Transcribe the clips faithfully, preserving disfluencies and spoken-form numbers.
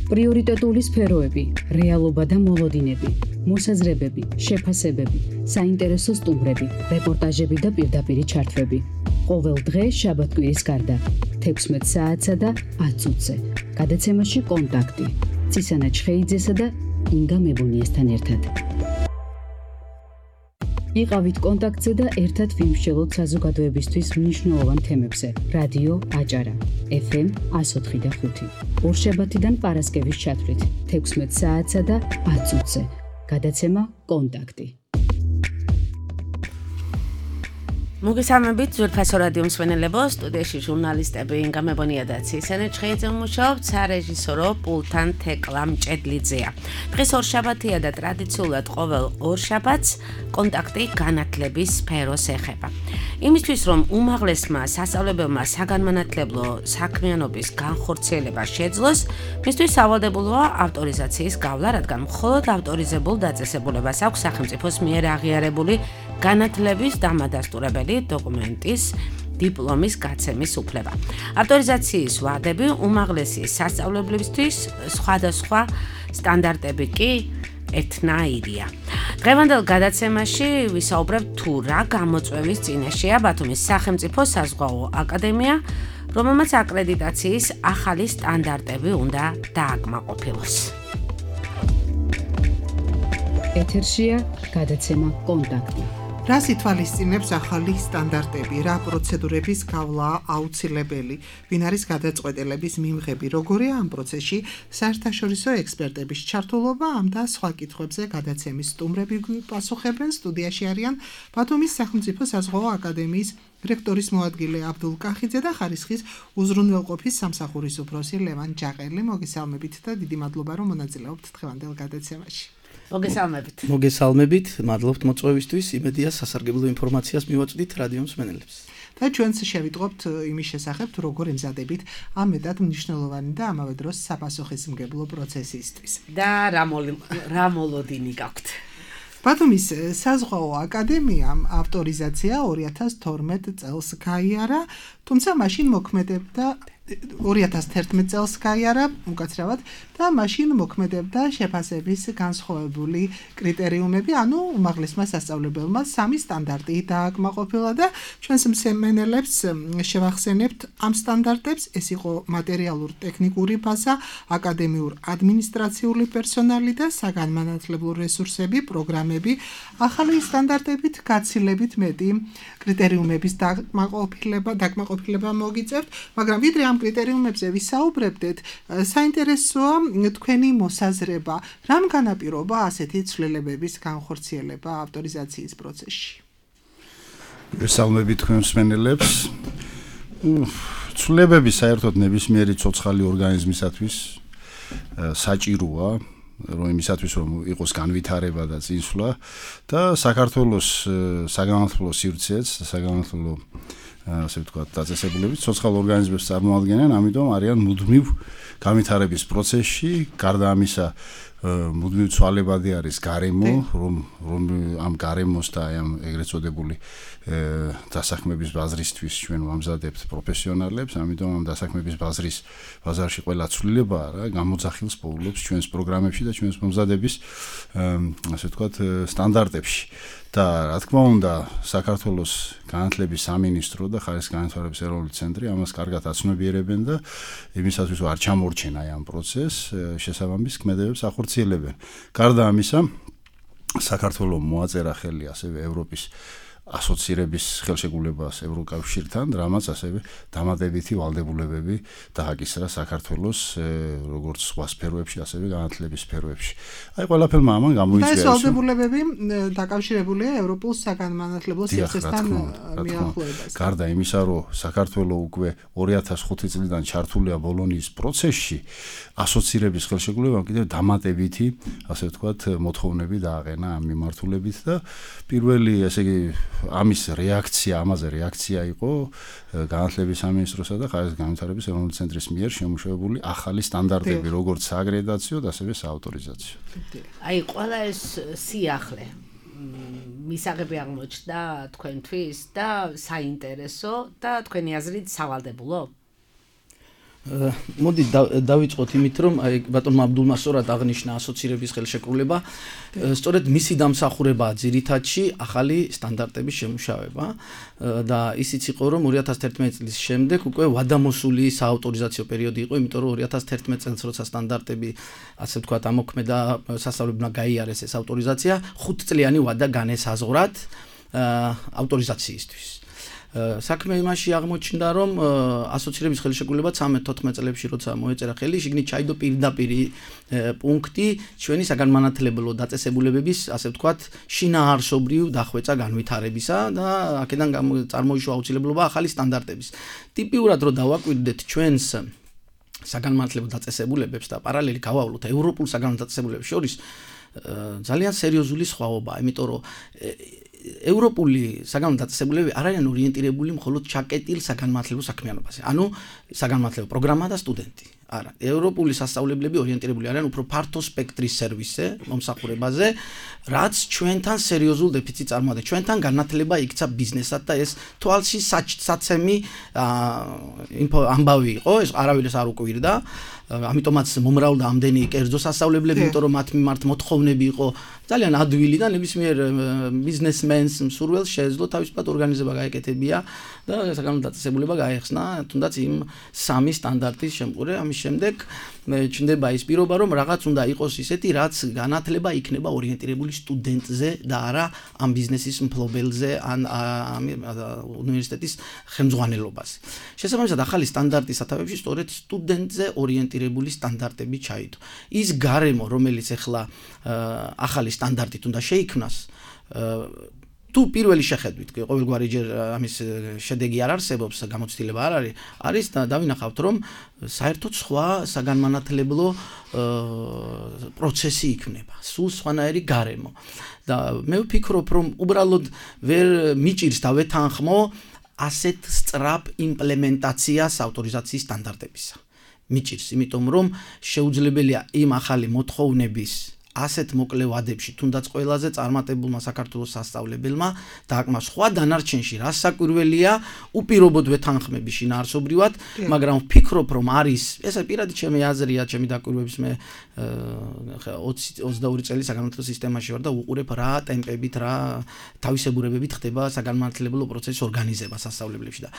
პრიორიტეტული სფეროები, რეალობა და მოლოდინები, მოსაზრებები, შეფასებები, საინტერესო სტუმრები, რეპორტაჟები და პირდაპირი ჩართვები. ყოველ დღე შაბათ-კვირის გარდა, თექვსმეტ საათსა და ათ წუთზე. გადაცემაში კონტაქტი. ცისანა ჩხეიძესა და ინგა მებონიესთან ერთად. იყავით კონტაქტზე და ერთად ვიმსჯელოთ საზოგადოებისთვის მნიშვნელოვან თემებზე. რადიო აჭარა, ეფ ემ ას ოთხი და ხუთი. ორშაბათიდან პარასკევის ჩათვლით, თექვსმეტ საათსა და ათ წუთზე. გადაცემა კონტაქტი. მოგესალმებით ძვირფასო რადიო მსმენელებო, სტუდიაში ჟურნალისტები ინგა მებონია და ცისანა ჩხეიძე მუშაობთ, სარეჟისორო პულტთან თეკლა მჭედლიძეა. დღეს ორშაბათია და ტრადიციულად ყოველ ორშაბათს კონტაქტი განათლების სფეროს ეხება. იმისთვის რომ უმაღლესმა სასწავლებელმა საგანმანათლებლო საქმიანობის განხორციელება შეძლოს, მისთვის სავალდებულოა ავტორიზაციის გავლა, რადგან მხოლოდ ავტორიზებულ დაწესებულებას აქვს სახელმწიფოს მიერ აღიარებული განათლების დამადასტურებელი დოკუმენტის დიპლომის გაცემის უფლება. ავტორიზაციის ვადები უმაღლესი სასწავლებლებისთვის სხვადასხვა სტანდარტები კი ერთნაირია. დღევანდელ გადაცემაში ვისაუბრებთ თუ რა გამოწვევის წინაშეა ბათუმის სახელმწიფო საზღვაო აკადემია, რომელმაც აკრედიტაციის ახალი სტანდარტები უნდა დააკმაყოფილოს. ეთერშია გადაცემა კონტაქტი. რას ითვალისწინებს ახალი სტანდარტები, რა პროცედურების გავლა აუცილებელი, ვინ არის გადაწყვეტილების მიმღები, როგორია ამ პროცესში საერთაშორისო ექსპერტების ჩართულობა, ამ და სხვა კითხვებზე გადაცემის სტუმრები პასუხებენ. სტუდიაში არიან ბათუმის სახელმწიფო საზღვაო აკადემიის რექტორის მოადგილე აბდულ კახიძე და ხარისხის უზრუნველყოფის სამსახურის უფროსი ლევან ჯაყელი. მოგესალმებით და დიდი მადლობა რომ მონაწილეობთ დღევანდელ გადაცემაში. მოგესალმებით. მოგესალმებით, მადლობთ მოწვევისთვის, იმედია სასარგებლო ინფორმაციას მივაწვდით რადიო მსმენელებს. და ჩვენც შევიტყობთ იმის შესახებ, თუ როგორ ემზადებით ამ მეტად მნიშვნელოვანი და ამავე დროს საპასუხისმგებლო პროცესისთვის. და რა მოლოდინი გაქვთ? ბათუმის საზღვაო აკადემიამ ავტორიზაცია ორი ათას თორმეტ წელს გაიარა, თუმცა მაშინ მოქმედებდა ორი ათას თერთმეტ წელს გაიარა, უკაცრავად, და მაშინ მოქმედებდა შეფასების განსხვავებული კრიტერიუმები, ანუ უმაღლესმა სასწავლებელმა სამი სტანდარტი დააკმაყოფილა და ჩვენს მსმენელებს შევახსენებთ ამ სტანდარტებს. ეს იყო მატერიალურ-ტექნიკური ბაზა, აკადემიურ ადმინისტრაციული პერსონალი და საგანმანათლებლო რესურსები, პროგრამები. ახალი სტანდარტებით გაცილებით მეტი კრიტერიუმების დაკმაყოფილება, დაკმაყოფილება მოგიწევთ, მაგრამ ვიდრე ამ კრიტერიუმებზე ვისაუბრებდეთ, საინტერესოა თქვენი მოსაზრება, რამ განაპირობა ასეთი ცვლილებების განხორციელება ავტორიზაციის პროცესში? ვესალმებით თქვენ მსმენელებს. ცვლილებები საერთოდ ნებისმიერი ცოცხალი ორგანიზმისათვის საჭიროა, რომ იმისათვის რომ იყოს განვითარება და წინსვლა და საქართველოს საგანმანათლებლო სივრცეც, საგანმანათლებლო ასე ვთქვათ, დაწესებულებით ცოცხალ ორგანიზმებს წარმოადგენენ, ამიტომ არიან მუდმივ განვითარების პროცესში. გარდა ამისა, მუდმივ ცვალებადი არის გარემო, რომ რომ ამ გარემოს და ამ ეგრეთ წოდებული დასაქმების ბაზრისთვის ჩვენ ვამზადებთ პროფესიონალებს, ამიტომ ამ დასაქმების ბაზრის ბაზარში ყველა ცვლილება რა გამოძახილს პოულობს ჩვენს პროგრამებში და ჩვენს მომზადების ასე ვთქვათ სტანდარტებში. და რა თქმა უნდა, საქართველოს განათლების სამინისტრო და ხარისხის განვითარების ეროვნული ცენტრი ამას კარგად აცნობიერებენ და იმისათვის არ ჩამორჩენა ამ პროცესს, შესაბამის ქმედებებს ახორციელებენ. გარდა ამისა, საქართველოს მოაწერა ხელი ასევე ევროპის ასოცირების ხელშეკრულებას ევროკავშირთან, რამაც ასევე დამატებითი ვალდებულებები დააკისრა საქართველოს როგორც სხვა სფეროებში, ასევე განათლების სფეროებში. აი ყველაფერმა ამან გამოიწვია. და ეს ვალდებულებები დაკავშირებულია ევროპულ საგანმანათლებლო სივრცესთან მიახლოებას. გარდა იმისა, რომ საქართველოს უკვე ორი ათას ხუთი წლიდან ჩართულია ბოლონიის პროცესში, ასოცირების ხელშეკრულებამ კიდევ დამატებითი, ასე ვთქვათ, მოთხოვნები დააყენა ამ მიმართულებით და პირველი, ესე იგი, ამის რეაქცია, ამაზე რეაქცია იყო განათლების სამინისტროსა და ხარისხის განვითარების ეროვნული ცენტრის მიერ შემუშავებული ახალი სტანდარტები, როგორც სააკრედიტაციო, ასევე საავტორიზაციო. აი, ყველა ეს სიახლე მისაღები აღმოჩნდა თქვენთვის და საინტერესო და თქვენი აზრით სავალდებულო? მოდი დავიწყოთ იმით, რომ აი ბატონმა აბდულმა სწორად აღნიშნა ასოცირების ხელშეკრულება, სწორედ მისი დამსახურებაა ძირითადში ახალი სტანდარტების შემუშავება და ისიც იყო, რომ ორი ათას თერთმეტი წლის შემდეგ უკვე ვადამოსული საავტორიზაციო პერიოდი იყო, იმიტომ რომ ორი ათას თერთმეტი წელს როცა სტანდარტები ასე ვთქვათ ამოქმედა სასწავლებელმა გაიარეს ეს ავტორიზაცია, ხუთწლიანი ვადა განესაზღვრათ ავტორიზაციისთვის. საქმე იმაში აღმოჩნდა, რომ ასოცირების ხელშეკრულება ცხრამეტ თოთხმეტ წლებში როცა მოეწერა ხელი, შიგნით ჩაიდო პირდაპირ პუნქტი ჩვენი საგანმანათლებლო დაწესებულებების, ასე ვთქვათ, შინაარსობრივ დახვეწა განვითარებისა და აქედან წარმოიშვა აუცილებლობა ახალი სტანდარტების. ტიპიურად რო დავაკვირდეთ ჩვენს საგანმანათლებლო დაწესებულებებს და პარალელი გავავლოთ ევროპულ საგანმანათლებლო დაწესებულებებს შორის ძალიან სერიოზული სხვაობაა, იმიტომ რომ ევროპული საგანმანათლებლო დაწესებულებები არ არიან ორიენტირებული მხოლოდ ჩაკეტილ საგანმანათლებლო საქმიანობაზე. ანუ საგანმანათლებლო პროგრამა და სტუდენტი. არა, ევროპული სასწავლებლები ორიენტირებული არიან უფრო ფართო სპექტრის სერვისზე, მომსახურებაზე, რაც ჩვენთან სერიოზულ დეფიციტს წარმოადგენს. ჩვენთან განათლება იქცა ბიზნესად და ეს თვალში საცემი ამბავი იყო, ეს არავის არ უკვირდა. ამიტომაც მომრავლდა ამდენი კერძო სასწავლებლები, იმიტომ რომ მათ მიმართ მოთხოვნები იყო ძალიან ადვილი და ნებისმიერ ბიზნესმენს მსურველს შეეძლო თავისუფლად ორგანიზება გაეკეთებია და საგანმანათლებლო დაწესებულება გაეხსნა თუნდაც იმ სამი სტანდარტის შემყურე. ამის შემდეგ ჩნდება ის პირობა, რომ რაღაც უნდა იყოს ისეთი, რაც განათლება იქნება ორიენტირებული სტუდენტზე და არა ამ ბიზნესის მფლობელზე ან უნივერსიტეტის ხელმძღვანელობაზე. შესაბამისად, ახალი სტანდარტის სათავეებში სწორედ სტუდენტზე ორიენტირებული სტანდარტები ჩაიდო. ის გარემო, რომელიც ახლა ახალი სტანდარტით უნდა შეიქმნას, თუ პირველი შეხედვით, ყოველგვარი ჯერ ამის შედეგი არ არსებობს, გამოცდილება არ არის, არის დავინახავთ, რომ საერთოდ სხვა საგანმანათლებლო პროცესი იქნება, სულ სხვანაირი გარემო. და მე ვფიქრობ, რომ უბრალოდ ვერ მიჭირს და ვეთანხმო ასეთ სწრაფ იმპლემენტაციას ავტორიზაციის სტანდარტებისა. მიჭირს, იმიტომ რომ შეუძლებელია იმ ახალი მოთხოვნების ასეთ მოკლე ვადებში, თუნდაც ყველაზე წარმატებულმა საქართველოს სასწავლებელმა დააკმა სხვა დანარჩენში, რაც საკვირველია, უპირობოდ ვეთანხმები შინაარსობრივად, მაგრამ ვფიქრობ, რომ არის, ეს პირადი ჩემი აზრია, ჩემი დაკვირვების მე ოცი ოცდაორი წელი საგანმანათლებლო სისტემაში ვარ და უყურებ რა ტემპებით, რა თავისებურებებით ხდება საგანმანათლებლო პროცესის ორგანიზება სასწავლებლებში და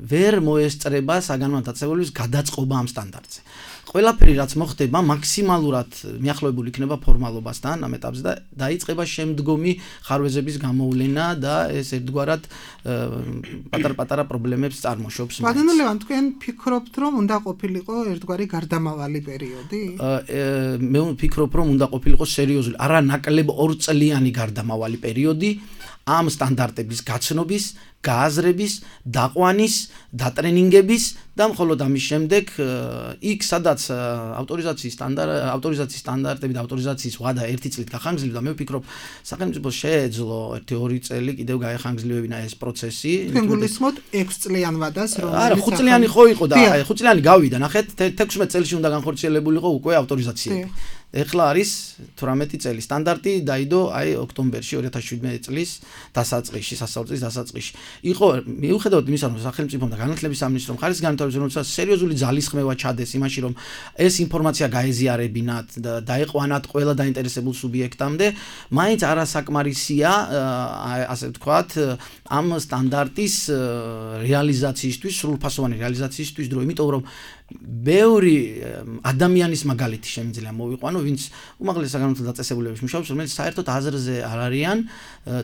ვერ მოესწრება საგანმანათლებლო დაწესებულების გადაწყობა ამ სტანდარტზე. ყველაფერი რაც მოხდება მაქსიმალურად მიახლოებული იქნება ფორმალობასთან ამ ეტაპზე და დაიწყება შემდგომი ხარვეზების გამოვლენა და ეს ერთგვარად პატარ-პატარა პრობლემებს წარმოშობს. ბატონო ლევან, თქვენ ფიქრობთ, რომ უნდა ყოფილიყო ერთგვარი გარდამავალი პერიოდი? მე ვფიქრობ, რომ უნდა ყოფილიყო სერიოზული, არა ნაკლებ ორწლიანი გარდამავალი პერიოდი ამ სტანდარტების გაცნობის, გააზრების, დაყვანის, დატრენინგების და მხოლოდ ამის შემდეგ იქ სადაც ავტორიზაციის სტანდარტ ავტორიზაციის სტანდარტები და ავტორიზაციის ვადა ერთი წლით გახანგრძლივდა, მე ვფიქრობ, სახელმწიფოს შეეძლო ერთი ორი წელი კიდევ გაეხანგრძლივებინა ეს პროცესი. თქვენ გულისხმობთ ექვს წლიან ვადას, რომ არა, ხუთ წლიანი ხო იყო და ხუთ წლიანი გავიდა, ნახეთ, თექვსმეტ წელში უნდა განხორციელებულიყო უკვე ავტორიზაციები. ეხლა არის თვრამეტი წელი სტანდარტი დაიდო აი ოქტომბერში ორი ათას შვიდმეტი წლის დასაწყისში, სასწავლო წლის დასაწყისში. იყო მიუხედავად იმისა, რომ სახელმწიფომ და განათლების სამინისტრომ ხარისხის განვითარების როცა სერიოზული ძალისხმევა ჩადეს იმაში, რომ ეს ინფორმაცია გაეზიარებინათ და დაეყვანათ ყველა დაინტერესებულ სუბიექტამდე, მაინც არასაკმარისია, ასე ვთქვათ, ამ სტანდარტის რეალიზაციისთვის, სრულფასოვანი რეალიზაციისთვის დრო, იმიტომ რომ ბევრი ადამიანის მაგალითი შემიძლია მოვიყვანო, ვინც უმაღლეს საგანმანათლებლო დაწესებულებებში მუშაობს, რომელიც საერთოდ აზრზე არ არიან,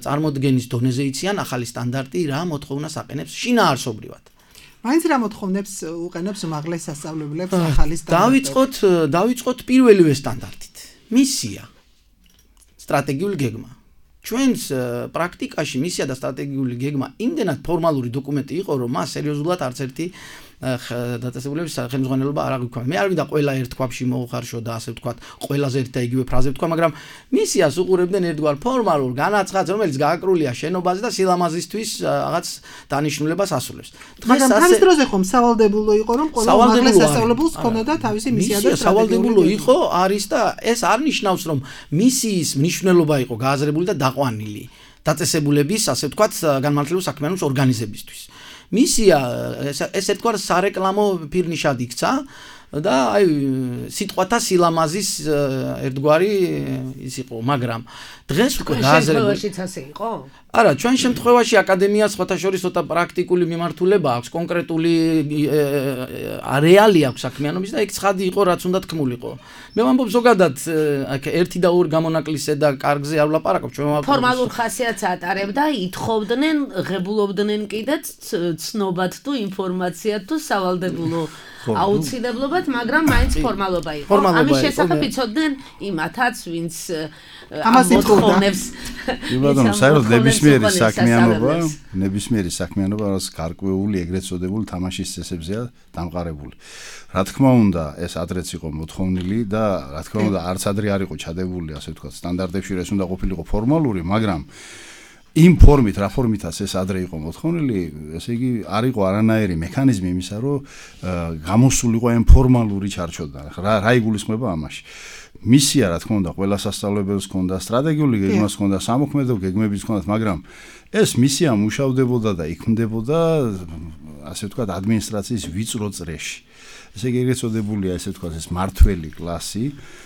წარმოდგენის დონეზე იციან ახალი სტანდარტი რა მოთხოვნას აყენებს შინაარსობრივად. მაინც რა მოთხოვნებს უყენებს უმაღლეს სასწავლებლებს ახალი სტანდარტი? დავიწყოთ, დავიწყოთ პირველივე სტანდარტით. მისია, სტრატეგიული გეგმა. ჩვენს პრაქტიკაში მისია და სტრატეგიული გეგმა იმდენად ფორმალური დოკუმენტი იყო, რომ მას სერიოზულად არც ერთი დაწესებულების ხელმძღვანელობა არ აღვიქვა. მე არ მინდა ყველა ერთ ქვაბში მოუხარშო და ასე ვთქვათ, ყველაზე ერთ და იგივე ფრაზე ვთქვა, მაგრამ მისიას უყურებდნენ ერთგვარ ფორმალურ განაცხადს, რომელიც გააკრულია შენობაზე და სილამაზისთვის რაღაც დანიშნულებას ასრულებს. მაგრამ თავის დროზე ხომ სავალდებულო იყო, რომ ყველა უმაღლეს სასწავლებელს ჰქონოდა თავისი მისია და სტრატეგიული სავალდებულო იყო, არის და ეს არ ნიშნავს, რომ მისიის მნიშვნელობა იყო გააზრებული და დაყვანილი დაწესებულების, ასე ვთქვათ, განმანათლებლო საქმიანობის ორგანიზებისთვის. მისია ეს ერთგვარ სარეკლამო ფირნიშად იქცა და აი სიტყვათა სილამაზის ერთგვარი ის იყო, მაგრამ დღეს უკვე გააზრებაშიც ასე იყო? არა, ჩვენ შემთხვევაში აკადემიას სხვათა შორის ცოტა პრაქტიკული მიმართულება აქვს, კონკრეტული რეალი აქვს საქმიანობის და იქ ცხადი იყო, რაც უნდა თქმულიყო. მე ვამბობ ზოგადად ერთი და ორი გამონაკლისზე და კარგზე არ ვლაპარაკობ, ჩვენ ვამბობ ფორმალურ ხასიათს ატარებდა, ითხოვდნენ, ღებულობდნენ კიდეც ცნობად თუ ინფორმაციად თუ სავალდებულო აუცილებლობად, მაგრამ მაინც ფორმალობა იყო. ამის შესახებ იცოდნენ იმათაც, ვინც ამას ითხოვნებს. იბადონ, საერთოდ ნებისმიერი საქმიანობა, ნებისმიერი საქმიანობა რაც გარკვეული ეგრეთ წოდებული თამაშის წესებზეა დამყარებული. რა თქმა უნდა, ეს ადრეც იყო მოთხოვნილი და რა თქმა უნდა, არც ადრე არ იყო ჩადებული, ასე ვთქვათ, სტანდარტებში ეს უნდა ყოფილიყო ფორმალური, მაგრამ იმ ფორმით, რა ფორმითაც ეს ადრე იყო მოთხოვნილი, ესე იგი არ იყო არანაირი მექანიზმი იმისა, რომ გამოსულიყო ამ ფორმალური ჩარჩოდან. რა რა იგულისხმება ამაში? მისია, რა თქმა უნდა, ყველა სასწავლებელს ჰქონდა, სტრატეგიული გეგმას ჰქონდა, სამოქმედო გეგმებიც ჰქონდა, მაგრამ ეს მისია მუშავდებოდა და იქმნდებოდა, ასე ვთქვათ, ადმინისტრაციის ვიწრო წრეში. ესე იგი ეგრეთ წოდებულია, ესე ვთქვათ, ეს მართველი კლასი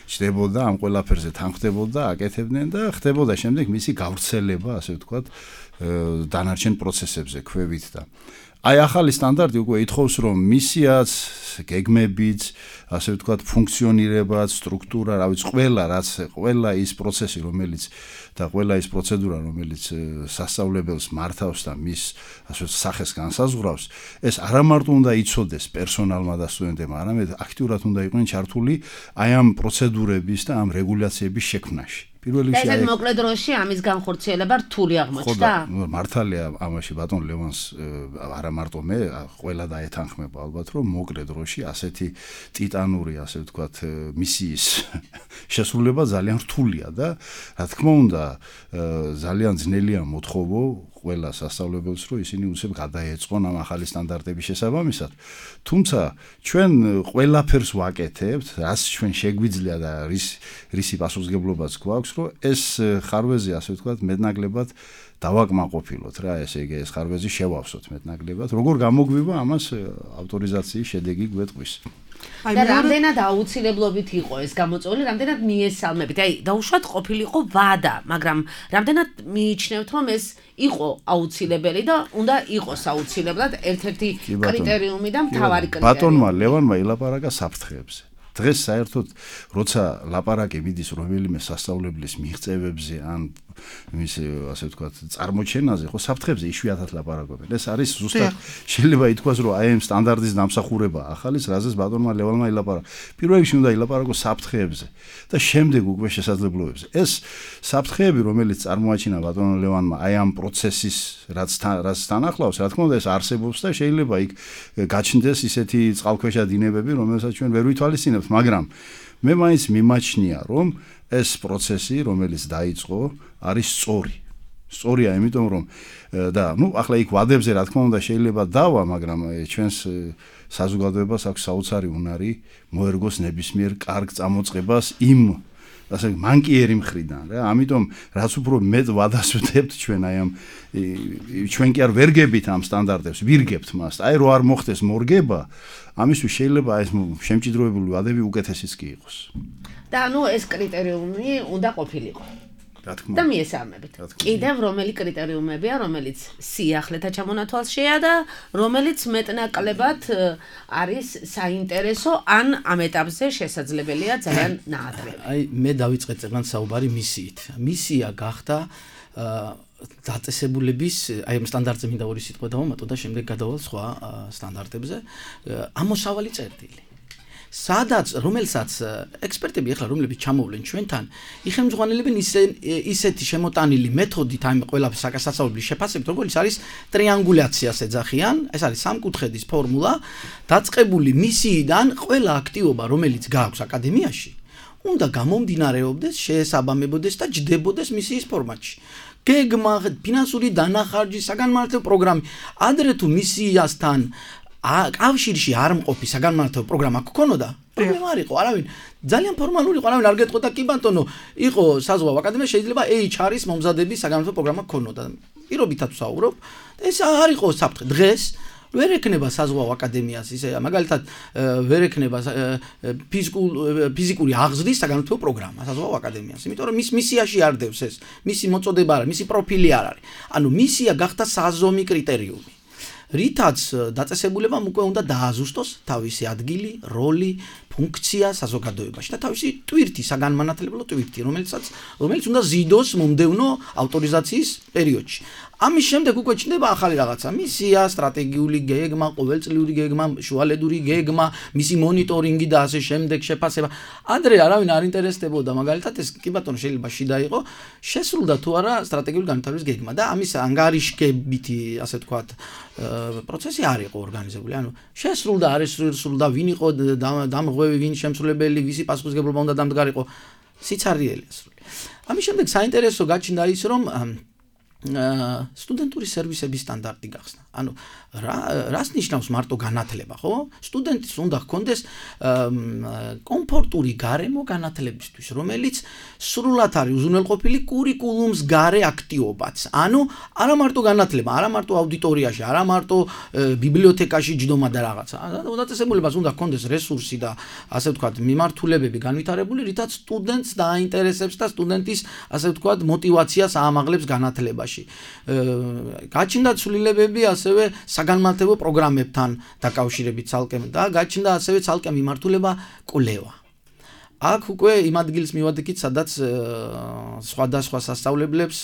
ჩდებოდა ამ ყველაფერზე თანხმდებოდა, აკეთებდნენ და ხდებოდა შემდეგ მისი გავრცელება, ასე ვთქვათ, დანარჩენ პროცესებზე ქვევით და აი ახალი სტანდარტი უკვე ითხოვს, რომ მისიაც, გეგმებიც, ასე ვთქვათ, ფუნქციონირებაც, სტრუქტურა, რა ვიცი, ყველა რაც, ყველა ის პროცესი, რომელიც და ყველა ის პროცედურა, რომელიც სასწავლებელს მართავს და მის ასე ვთქვათ, სახეს განსაზღვრავს, ეს არა მარტო უნდა იცოდეს პერსონალმა და სტუდენტებმა, არამედ აქტიურად უნდა იყვნენ ჩართული აი ამ პროცედურების და ამ რეგულაციების შექმნაში. პირველ რიგში ეს მოკლედ დროში ამის განხორციელება რთული აღმოჩნდა? ხო, მართალია ამაში ბატონ ლევანს არა მარტო მე, ყველა დაეთანხმება ალბათ, რომ მოკლედ დროში ასეთი ტიტანური, ასე ვთქვათ, მისიის შესრულება ძალიან რთულია და რა თქმა უნდა, ძალიან ძნელია მოთხოვო ყველა სასწავლებელს, რომ ისინი უცებ გადაეწყონ ამ ახალი სტანდარტების შესაბამისად. თუმცა ჩვენ ყველაფერს ვაკეთებთ, რაც ჩვენ შეგვიძლია და რის რისი პასუხისმგებლობაც გვაქვს, რომ ეს ხარვეზე, ასე ვთქვათ, მეტნაკლებად დავაკმაყოფილოთ რა, ესე იგი ეს ხარვეზი შევავსოთ მეტნაკლებად. როგორ გამოგვივა ამას ავტორიზაციის შედეგი გვეტყვის. აი და რამდენად აუცილებლობით იყო ეს გამოწვეული, რამდენად მიესალმებით. აი დაუშვათ ყოფილიყო ვადა, მაგრამ რამდენად მიიჩნევთ, რომ ეს იყო აუცილებელი და უნდა იყოს აუცილებლად ერთ-ერთი კრიტერიუმი და მთავარი კრიტერიუმი. ბატონმა ლევანმა ილაპარაკა საფრთხეებზე. დღეს საერთოდ როცა ლაპარაკი მიდის რომელიმე სასწავლებლის მიღწევებზე ან მის ასე ვთქვათ წარმოჩენაზე, ხო საფრთხებზე იშვიათად ლაპარაკობენ. ეს არის ზუსტად შეიძლება ითქვას, რომ აი ამ სტანდარტის დამსახურება ახალის, რაზეც ბატონმა ლევანმა ილაპარაკა. პირველ რიგში უნდა ილაპარაკოს საფრთხეებზე და შემდეგ უკვე შესაძლებლობებზე. ეს საფრთხეები, რომელიც წარმოაჩინა ბატონ ლევანმა აი ამ პროცესის რაც რაც თანახლავს, რა თქმა უნდა ეს არსებობს და შეიძლება იქ გაჩნდეს ისეთი წყალქვეშა დინებები, რომელსაც ჩვენ ვერ ვითვალისწინებთ, მაგრამ მე მაინც მიმაჩნია, რომ ეს პროცესი, რომელიც დაიწყო, არის სწორი. სწორია, იმიტომ რომ და ნუ ახლა იქ ვადებზე რა თქმა უნდა შეიძლება დავა, მაგრამ ჩვენს საზოგადოებას აქვს საოცარი უნარი მოერგოს ნებისმიერ კარგ წამოწყებას იმ ასე მანკიერი მხრიდან რა. ამიტომ რაც უფრო მეტ ვადას ვდებთ ჩვენ აი ამ ჩვენ კი არ ვერგებით ამ სტანდარტებს, ვირგებთ მას. აი რო არ მოხდეს მორგება, ამისთვის შეიძლება ეს შემჭიდროებული ვადები უკეთესიც კი იყოს. და ნუ ეს კრიტერიუმი უნდა ყოფილიყო. და მიესალმებით. კიდევ რომელი კრიტერიუმებია, რომელიც სიახლეთა ჩამონათვალშია და რომელიც მეტნაკლებად არის საინტერესო ან ამ ეტაპზე შესაძლებელია ძალიან ნაადრევი. აი მე დავიწყე წეგნად საუბარი მისიით. მისია გახდა დაწესებულების აი ამ სტანდარტზე მინდა ორი სიტყვა დავამატო და შემდეგ გადავალ სხვა სტანდარტებზე. ამოსავალი წერტილი. სადაც რომელსაც ექსპერტები ახლა რომლებიც ჩამოვლენ ჩვენთან, იხელმძღვანელებენ ისეთი შემოტანილი მეთოდით ამ ყველა საკასასწავლებლის შეფასებით, როგორც არის ტრიანგულაციას ეძახიან, ეს არის სამკუთხედის ფორმულა, დაწყებული მისიიდან ყველა აქტივობა, რომელიც გააქვს აკადემიაში, უნდა გამომდინარეობდეს, შეესაბამებოდეს და ჯდებოდეს მისიის ფორმატში. გეგმა, ფინანსური დანახარჯი, საგანმანათლებლო პროგრამა, ადრე თუ მისიასთან კავშირში არ მყოფი საგანმანათლებლო პროგრამა გქონოდა, პრობლემა არ იყო, არავინ ძალიან ფორმალური იყო, არავინ არ გეტყოდა კი ბატონო, იყო საზღვაო აკადემია, შეიძლება ეიჩ არ-ის მომზადების საგანმანათლებლო პროგრამა გქონოდა. პირობითად ვსაუბრობ, ეს არ იყო საფრთხე. დღეს ვერ ექნება საზღვაო აკადემიას ისე მაგალითად ვერ ექნება ფიზიკური აღზრდის საგანმანათლებლო პროგრამა საზღვაო აკადემიას, იმიტომ რომ მის მისიაში არ დევს ეს, მისი მოწოდება არ არის, მისი პროფილი არ არის. ანუ მისია გახდა საზომი კრიტერიუმი. რითაც დაწესებულებამ უკვე უნდა დააზუსტოს თავისი ადგილი, როლი, ფუნქცია საზოგადოებაში და თავისი ტვირთი, საგანმანათლებლო ტვირთი, რომელიცაც რომელიც უნდა ზიდოს მომდევნო ავტორიზაციის პერიოდში. ამის შემდეგ უკვე ჩნდება ახალი რაღაცა, მისია, სტრატეგიული გეგმა, ყოველწლიური გეგმა, შუალედური გეგმა, მისი მონიტორინგი და ასე შემდეგ შეფასება. ადრე არავინ არ ინტერესდებოდა, მაგალითად ეს კი ბატონო შეიძლება შიდა იყო, შესრულდა თუ არა სტრატეგიული განვითარების გეგმა და ამის ანგარიშგებითი, ასე ვთქვათ, პროცესი არ იყო ორგანიზებული. ანუ შესრულდა, არ შესრულდა, ვინ იყო დამღვევი, ვინ შემსრულებელი, ვისი პასუხისმგებლობა უნდა დამდგარიყო, სიცარიელი ასრული. ამის შემდეგ საინტერესო გაჩნდა ის, რომ სტუდენტური სერვისების სტანდარტი გახსნა. ანუ რას ნიშნავს მარტო განათლება, ხო? სტუდენტს უნდა ჰქონდეს კომფორტული გარემო განათლებისთვის, რომელიც სრულად არის უზრუნველყოფილი კურიკულუმს გარე აქტივობაც. ანუ არა მარტო განათლება, არა მარტო აუდიტორიაში, არა მარტო ბიბლიოთეკაში ჯდომა და რაღაცა. დაწესებულებას უნდა ჰქონდეს რესურსი და ასე ვთქვათ, მიმართულებები განვითარებული, რითაც სტუდენტს დააინტერესებს და სტუდენტის ასე ვთქვათ, მოტივაციას აამაღლებს განათლებაში. გაჩნდა ცვლილებები ასევე საგანმანათლებლო პროგრამებთან დაკავშირებით ცალკე და გაჩნდა ასევე ცალკე მიმართულება კვლევა. აქ უკვე იმ ადგილს მივადგით, სადაც სხვადასხვა სასწავლებლებს,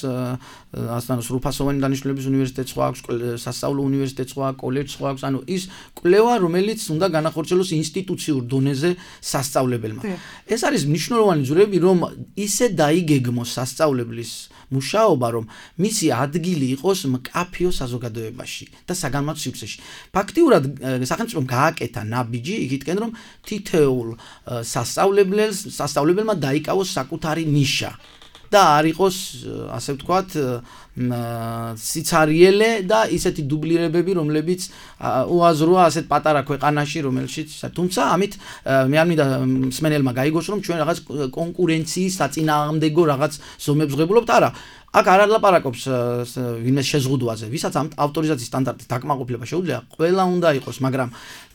ასთან სრულფასოვანი დანიშნულების უნივერსიტეტი სხვა აქვს, სასწავლო უნივერსიტეტი სხვა, კოლეჯი სხვა აქვს, ანუ ის კვლევა, რომელიც უნდა განახორციელოს ინსტიტუციურ დონეზე სასწავლებელმა. ეს არის მნიშვნელოვანი ძვრები, რომ ისე დაიგეგმოს სასწავლებლის მუშაობა, რომ მისი ადგილი იყოს მკაფიო საზოგადოებაში და საგანმანათლებლო სივრცეში. ფაქტიურად სახელმწიფომ გააკეთა ნაბიჯი იქითკენ, რომ თითოეულ სასწავლებელს სასწავლებელმა დაიკავოს საკუთარი ნიშა და არ იყოს, ასე ვთქვათ, სიცარიელე და ისეთი დუბლირებები, რომლებიც უაზროა ასეთ პატარა ქვეყანაში, რომელშიც, თუმცა ამით მე არ მინდა მსმენელმა გაიგოს, რომ ჩვენ რაღაც კონკურენციის საწინააღმდეგო რაღაც ზომებს ვღებულობთ, არა. აქ არ ალაპარაკობს ვინმე შეზღუდვაზე, ვისაც ამ ავტორიზაციის სტანდარტის დაკმაყოფილება შეუძლია, ყველა უნდა იყოს, მაგრამ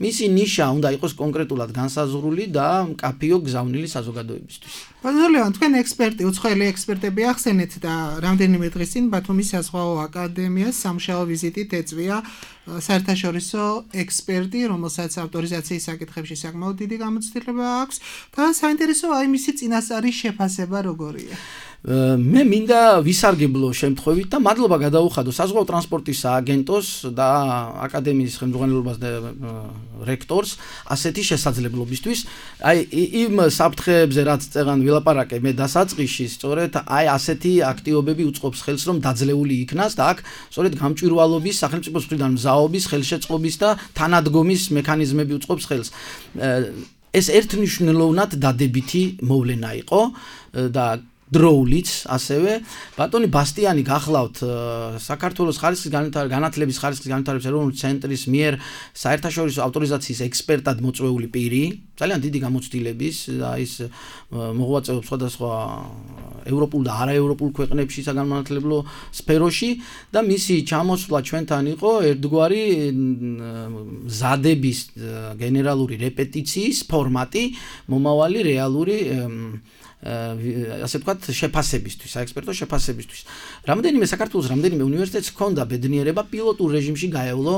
მისი ნიშა უნდა იყოს კონკრეტულად განსაზღვრული და მკაფიო გზავნილი საზოგადოებისთვის. ბატონო ლევან, თქვენ ექსპერტი, უცხოელი ექსპერტები ახსენეთ და რამდენიმე დღის წინ ბათუმის საზღვაო აკადემიას სამუშაო ვიზიტით ეწვია საერთაშორისო ექსპერტი, რომელსაც ავტორიზაციის საკითხებში საკმაოდ დიდი გამოცდილება აქვს და საინტერესოა აი მისი წინასწარი შეფასება როგორია. მე მინდა ვისარგებლო შემთხვევით და მადლობა გადაუხადო საზღვაო ტრანსპორტის სააგენტოს და აკადემიის ხელმძღვანელობას და რექტორს ასეთი შესაძლებლობისთვის. აი იმ საფრთხეებზე რაც წეგან ვილაპარაკე მე დასაწყისში, სწორედ აი ასეთი აქტივობები უწყობს ხელს, რომ დაძლეული იქნას და აქ სწორედ გამჭვირვალობის, სახელმწიფოს მხრიდან მზაობის, ხელშეწყობის და თანადგომის მექანიზმები უწყობს ხელს. ეს ერთნიშნულოვნად დადებითი მოვლენა იყო და დროულიც ასევე ბატონი ბასტიანი გახლავთ საქართველოს ხარისხის განათლების ხარისხის განვითარების ეროვნული ცენტრის მიერ საერთაშორისო ავტორიზაციის ექსპერტად მოწვეული პირი, ძალიან დიდი გამოცდილების და ის მოღვაწეობს სხვადასხვა ევროპულ და არაევროპულ ქვეყნებში საგანმანათლებლო სფეროში და მისი ჩამოსვლა ჩვენთან იყო ერთგვარი მზადების გენერალური რეპეტიციის ფორმატი მომავალი რეალური ასე ვთქვათ შეფასებისთვის, საექსპერტო შეფასებისთვის. რამდენიმე საქართველოს რამდენიმე უნივერსიტეტს ჰქონდა ბედნიერება პილოტურ რეჟიმში გაევლო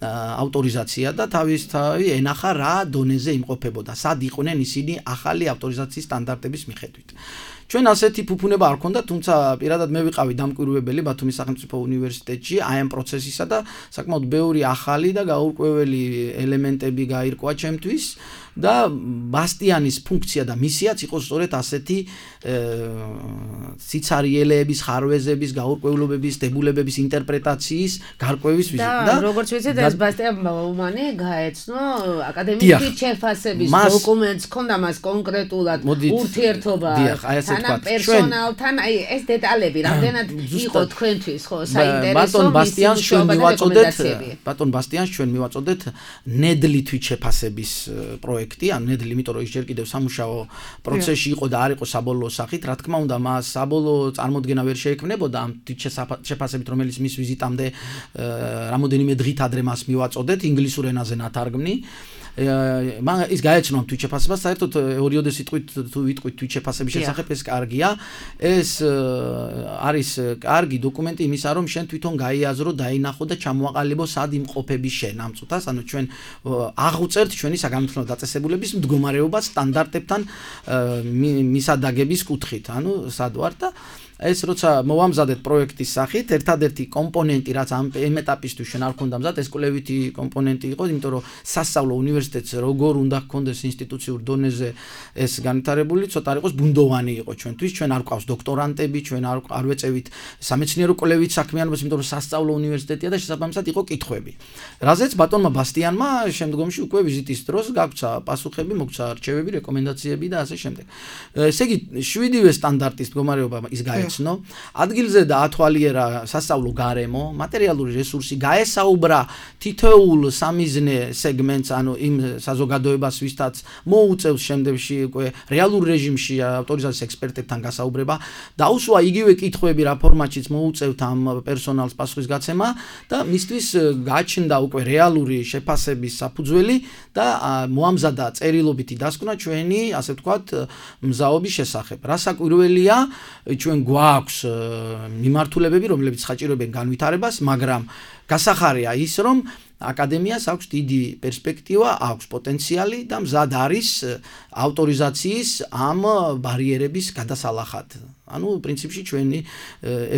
ავტორიზაცია და თავისთავად ენახა რა დონეზე იმყოფებოდა, სად იყვნენ ისინი ახალი ავტორიზაციის სტანდარტების მიხედვით. ჩვენ ასეთი ფუფუნება არ ქონდა, თუმცა პირადად მე ვიყავი დამკვირვებელი ბათუმის სახელმწიფო უნივერსიტეტში აი ამ პროცესისა და საკმაოდ ბევრი ახალი და გაურკვეველი ელემენტები გაირკვა ჩემთვის და ბასტიანის ფუნქცია და მისიაც იყო სწორედ ასეთი სიცარიელეების, ხარვეზების, გაურკვევლობების, დებულებების ინტერპრეტაციის გარკვევის ვიზიტი და როგორც ვიცით ეს ბასტიან ბაუმანი გაეცნო აკადემიური შეფასების დოკუმენტს, ქონდა მას კონკრეტულად ურთიერთობა თან პერსონალთან, აი ეს დეტალები რამდენად იყო თქვენთვის ხო საინტერესო ბატონ ბასტიანს ჩვენ მივაწოდეთ ბატონ ბასტიანს ჩვენ მივაწოდეთ ნედლი თვით შეფასების პროექტი, ან ნედლი, იმიტომ რომ ის ჯერ კიდევ სამუშაო პროცესში იყო და არ იყო საბოლოო სახით, რა თქმა უნდა, მას საბოლოო წარმოდგენა ვერ შეექმნებოდა ამ თვით შეფასებით, რომელიც მის ვიზიტამდე რამოდენიმე დღით ადრე მას მიღებას მივაწოდეთ ინგლისურ ენაზე ნათარგმნი. მან ის გაეცნო ამ თვითშეფასებას, საერთოდ ორიოდე სიტყვით თუ ვიტყვით თვითშეფასების შესახებ ეს კარგია. ეს არის კარგი დოკუმენტი იმისა, რომ შენ თვითონ გაიაზრო, დაინახო და ჩამოაყალიბო სად იმყოფები შენ ამ წუთას, ანუ ჩვენ აღვწერთ ჩვენი საგანმანათლებლო დაწესებულების მდგომარეობა სტანდარტებთან მისადაგების კუთხით, ანუ სად ვარ და ეს როცა მოვამზადეთ პროექტის სახით, ერთადერთი კომპონენტი, რაც ამ ეტაპისთვის ჩვენ არ ქონდა მზად, ეს კვლევითი კომპონენტი იყო, იმიტომ რომ სასწავლო უნივერსიტეტს როგორ უნდა ჰქონდეს ინსტიტუციურ დონეზე ეს განვითარებული, ცოტა არ იყოს ბუნდოვანი იყო ჩვენთვის, ჩვენ არ გვყავს დოქტორანტები, ჩვენ არ არ ვეწევით სამეცნიერო კვლევით საქმიანობას, იმიტომ რომ სასწავლო უნივერსიტეტია და შესაბამისად იყო კითხვები. რაზეც ბატონმა ბასტიანმა შემდგომში უკვე ვიზიტის დროს გაგვცა პასუხები, მოგცა რჩევები, რეკომენდაციები და ასე შემდეგ. ესე იგი, შვიდივე სტანდარტის მდგომარეობა ის გაეცნო. ადგილზე დაათვალიერა სასწავლო გარემო, მატერიალური რესურსი, გაესაუბრა თითოეულ სამიზნე სეგმენტს, ანუ იმ საზოგადოებას, ვისთაც მოუწევს შემდეგში უკვე რეალურ რეჟიმში ავტორიზაციის ექსპერტებთან გასაუბრება, დაუსვა იგივე კითხვები რა ფორმატშიც მოუწევთ ამ პერსონალს პასუხისგაცემა და მისთვის გაჩნდა უკვე რეალური შეფასების საფუძველი და მოამზადა წერილობითი დასკვნა ჩვენი, ასე ვთქვათ, მზაობის შესახებ. რასაკვირველია, ჩვენ გვაქვს მიმართულებები, რომლებიც საჭიროებენ განვითარებას, მაგრამ გასახარია ის, რომ აკადემიას აქვს დიდი პერსპექტივა, აქვს პოტენციალი და მზად არის ავტორიზაციის ამ ბარიერების გადასალახად. ანუ პრინციპში ჩვენი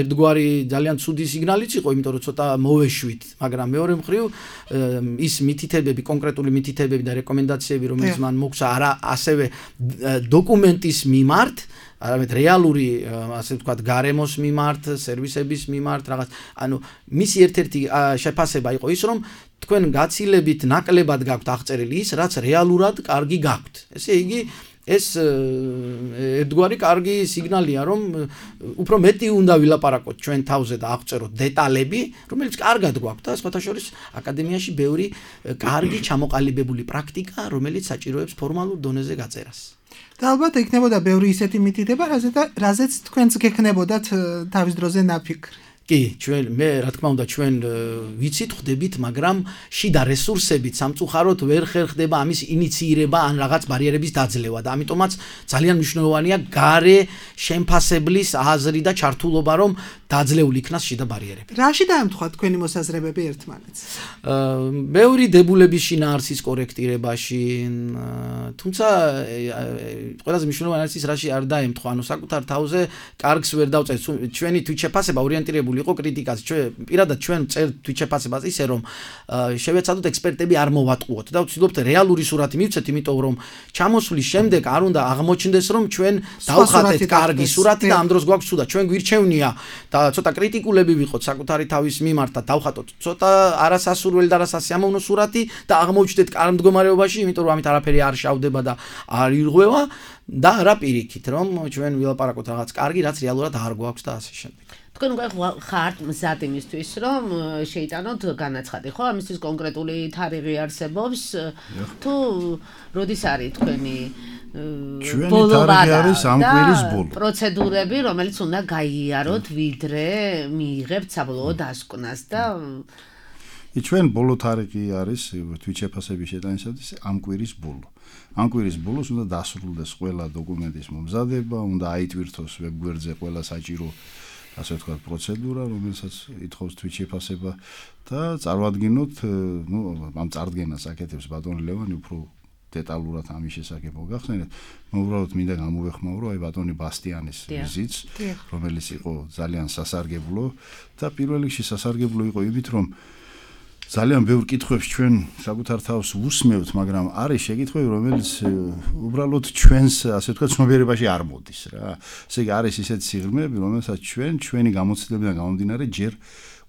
ერთგვარი ძალიან ცუდი სიგნალიც იყო, იმიტომ რომ ცოტა მოვეშვით, მაგრამ მეორე მხრივ ის მითითებები, კონკრეტული მითითებები და რეკომენდაციები, რომელიც მან მოგცა არა ასევე დოკუმენტის მიმართ, არამედ რეალური, ასე ვთქვათ, გარემოს მიმართ, სერვისების მიმართ, რაღაც, ანუ მისი ერთ-ერთი შეფასება იყო ის, რომ თქვენ გაცილებით ნაკლებად გაქვთ აღწერილი ის, რაც რეალურად კარგი გაქვთ. ესე იგი, ეს ერთგვარი კარგი სიგნალია, რომ უფრო მეტი უნდა ვილაპარაკოთ ჩვენ თავზე და აღწეროთ დეტალები, რომელიც კარგად გვაქვს და სხვათა შორის აკადემიაში ბევრი კარგი ჩამოყალიბებული პრაქტიკა, რომელიც საჭიროებს ფორმალურ დონეზე გაწერას. და ალბათ იქნებოდა ბევრი ისეთი მითითება, რაზეც თქვენც გექნებოდათ თავის დროზე ნაფიქრი. კი, ჩვენ მე რა თქმა უნდა ჩვენ ვიცით, ხვდებით, მაგრამ შიდა რესურსებით სამწუხაროდ ვერ ხერხდება ამის ინიციირება ან რაღაც ბარიერების დაძლევა და ამიტომაც ძალიან მნიშვნელოვანია გარე შემფასებლის აზრი და ჩართულობა, რომ დაძლეული იქნას შიდა ბარიერები. რაში დაემთხვა თქვენი მოსაზრებები ერთმანეთს? ბევრი დებულების შინაარსის კორექტირებაში, თუმცა ყველაზე მნიშვნელოვანი არის ის, რაში არ დაემთხვა, ანუ საკუთარ თავზე კარგს ვერ დავწერთ. ჩვენი თვითშეფასება ორიენტირებული იყო კრიტიკაზე. ჩვენ პირადად ჩვენ წერთ თვითშეფასებას ისე, რომ შევეცადოთ ექსპერტები არ მოვატყუოთ და ვცდილობთ რეალური სურათი მივცეთ, იმიტომ რომ ჩამოსვლის შემდეგ არ უნდა აღმოჩნდეს, რომ ჩვენ დავხატეთ კარგი სურათი და ამ დროს გვაქვს ცუდა. ჩვენ გვირჩევნია და ცოტა კრიტიკულები ვიყოთ საკუთარი თავის მიმართ და დავხატოთ ცოტა არასასურველი და არასასიამოვნო სურათი და აღმოჩნდეთ კარგ მდგომარეობაში, იმიტომ რომ ამით არაფერი არ შავდება და არ ირღვევა და რა პირიქით, რომ ჩვენ ვილაპარაკოთ რაღაც კარგი, რაც რეალურად არ გვაქვს და ასე შემდეგ. თქვენ უკვე ხართ მზად იმისთვის, რომ შეიტანოთ განაცხადი, ხო? ამისთვის კონკრეტული თარიღი არსებობს თუ როდის არის თქვენი ჩვენი თარიღი არის ამ კვირის ბოლო. პროცედურები, რომელიც უნდა გაიაროთ, ვიდრე მიიღებთ საბოლოო დასკვნას და ჩვენ ბოლო თარიღი არის თვითშეფასების შეტანისათვის ამ კვირის ბოლო. ამ კვირის ბოლოს უნდა დასრულდეს ყველა დოკუმენტის მომზადება, უნდა აიტვირთოს ვებგვერდზე ყველა საჭირო ასე ვთქვათ პროცედურა, რომელსაც ითხოვს თვითშეფასება და წარვადგინოთ, ნუ ამ წარდგენას აკეთებს ბატონი ლევანი უფრო დეტალურად ამის შესახებ მოგახსენეთ. მე უბრალოდ მინდა გამოვეხმაურო აი ბატონი ბასტიანის ვიზიტს, რომელიც იყო ძალიან სასარგებლო და პირველ რიგში სასარგებლო იყო იმით, რომ ძალიან ბევრ კითხვებს ჩვენ საკუთარ თავს უსმევთ, მაგრამ არის შეკითხვები, რომელიც უბრალოდ ჩვენს, ასე ვთქვათ, ცნობიერებაში არ მოდის რა. ესე იგი არის ისეთი სიღრმეები, რომელსაც ჩვენ ჩვენი გამოცდილებიდან გამომდინარე ჯერ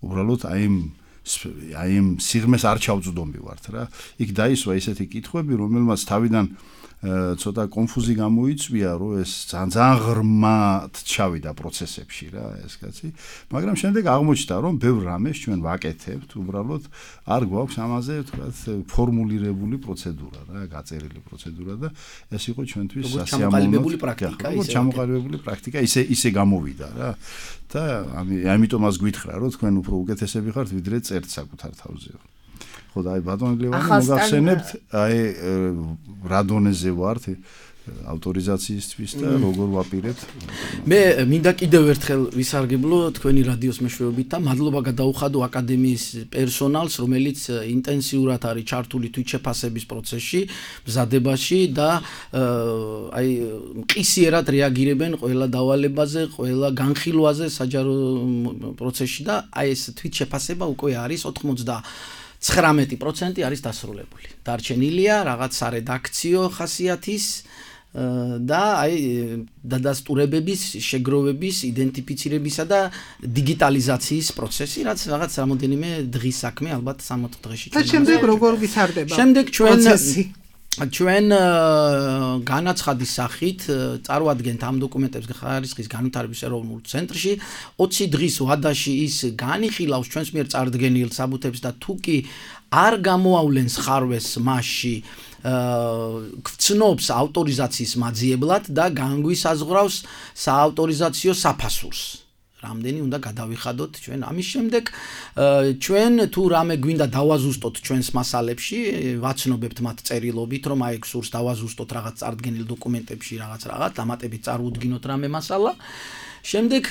უბრალოდ აი იმ აი იმ სიღრმეს არ ჩავწვდომივართ რა. იქ დაისვა ისეთი კითხვები, რომელმაც თავიდან ცოტა კონფუზი გამოიწვია, რომ ეს ძალიან ღრმად ჩავიდა პროცესებში რა ეს კაცი, მაგრამ შემდეგ აღმოჩნდა, რომ ბევრ რამეს ჩვენ ვაკეთებთ, უბრალოდ არ გვაქვს ამაზე ვთქვათ ფორმულირებული პროცედურა რა, გაწერილი პროცედურა და ეს იყო ჩვენთვის სასიამოვნო პრაქტიკა, ისე ჩამოყალიბებული პრაქტიკა, ისე ისე გამოვიდა რა. და ამიტომაც გვითხრა, რომ თქვენ უფრო უკეთესები ხართ, ვიდრე წერთ საკუთარ თავზე. ხო და აი ბატონი ლევანი მოგახსენებთ აი რა დონეზე ვართ ავტორიზაციისთვის და როგორ ვაპირებთ მე მინდა კიდევ ერთხელ ვისარგებლო თქვენი რადიოს მეშვეობით და მადლობა გადაუხადო აკადემიის პერსონალს რომელიც ინტენსიურად არის ჩართული თვითშეფასების პროცესში მზადებაში და აი მყისიერად რეაგირებენ ყველა დავალებაზე ყველა განხილვაზე საჯარო პროცესში და აი ეს თვითშეფასება უკვე არის ოცდათხმეტი პროცენტი არის დასრულებული დარჩენილია რაღაც სარედაქციო ხასიათის და აი დადასტურებების, შეგროვების, იდენტიფიცირებისა და დიგიტალიზაციის პროცესი, რაც რაღაც რამოდენიმე დღის საქმე, ალბათ სამოთხ დღეში. და შემდეგ როგორ ვითარდება? შემდეგ ჩვენ ჩვენ განაცხადის სახით წარვადგენთ ამ დოკუმენტებს ხარისხის განვითარების ეროვნულ ცენტრში ოცი დღის ვადაში ის განიხილავს ჩვენს მიერ წარდგენილ საბუთებს და თუ კი არ გამოავლენს ხარვეს მასში გწნობს ავტორიზაციის მაძიებლად და განგვისაზღვრავს საავტორიზაციო საფასურს. რამდენი უნდა გადავიხადოთ ჩვენ ამის შემდეგ ჩვენ თუ რამე გვინდა დავაზუსტოთ ჩვენს მასალებში ვაცნობებთ მათ წერილობით რომ აი სურს დავაზუსტოთ რაღაც წარდგენილ დოკუმენტებში რაღაც რაღაც დამატებით წარუდგინოთ რამე მასალა შემდეგ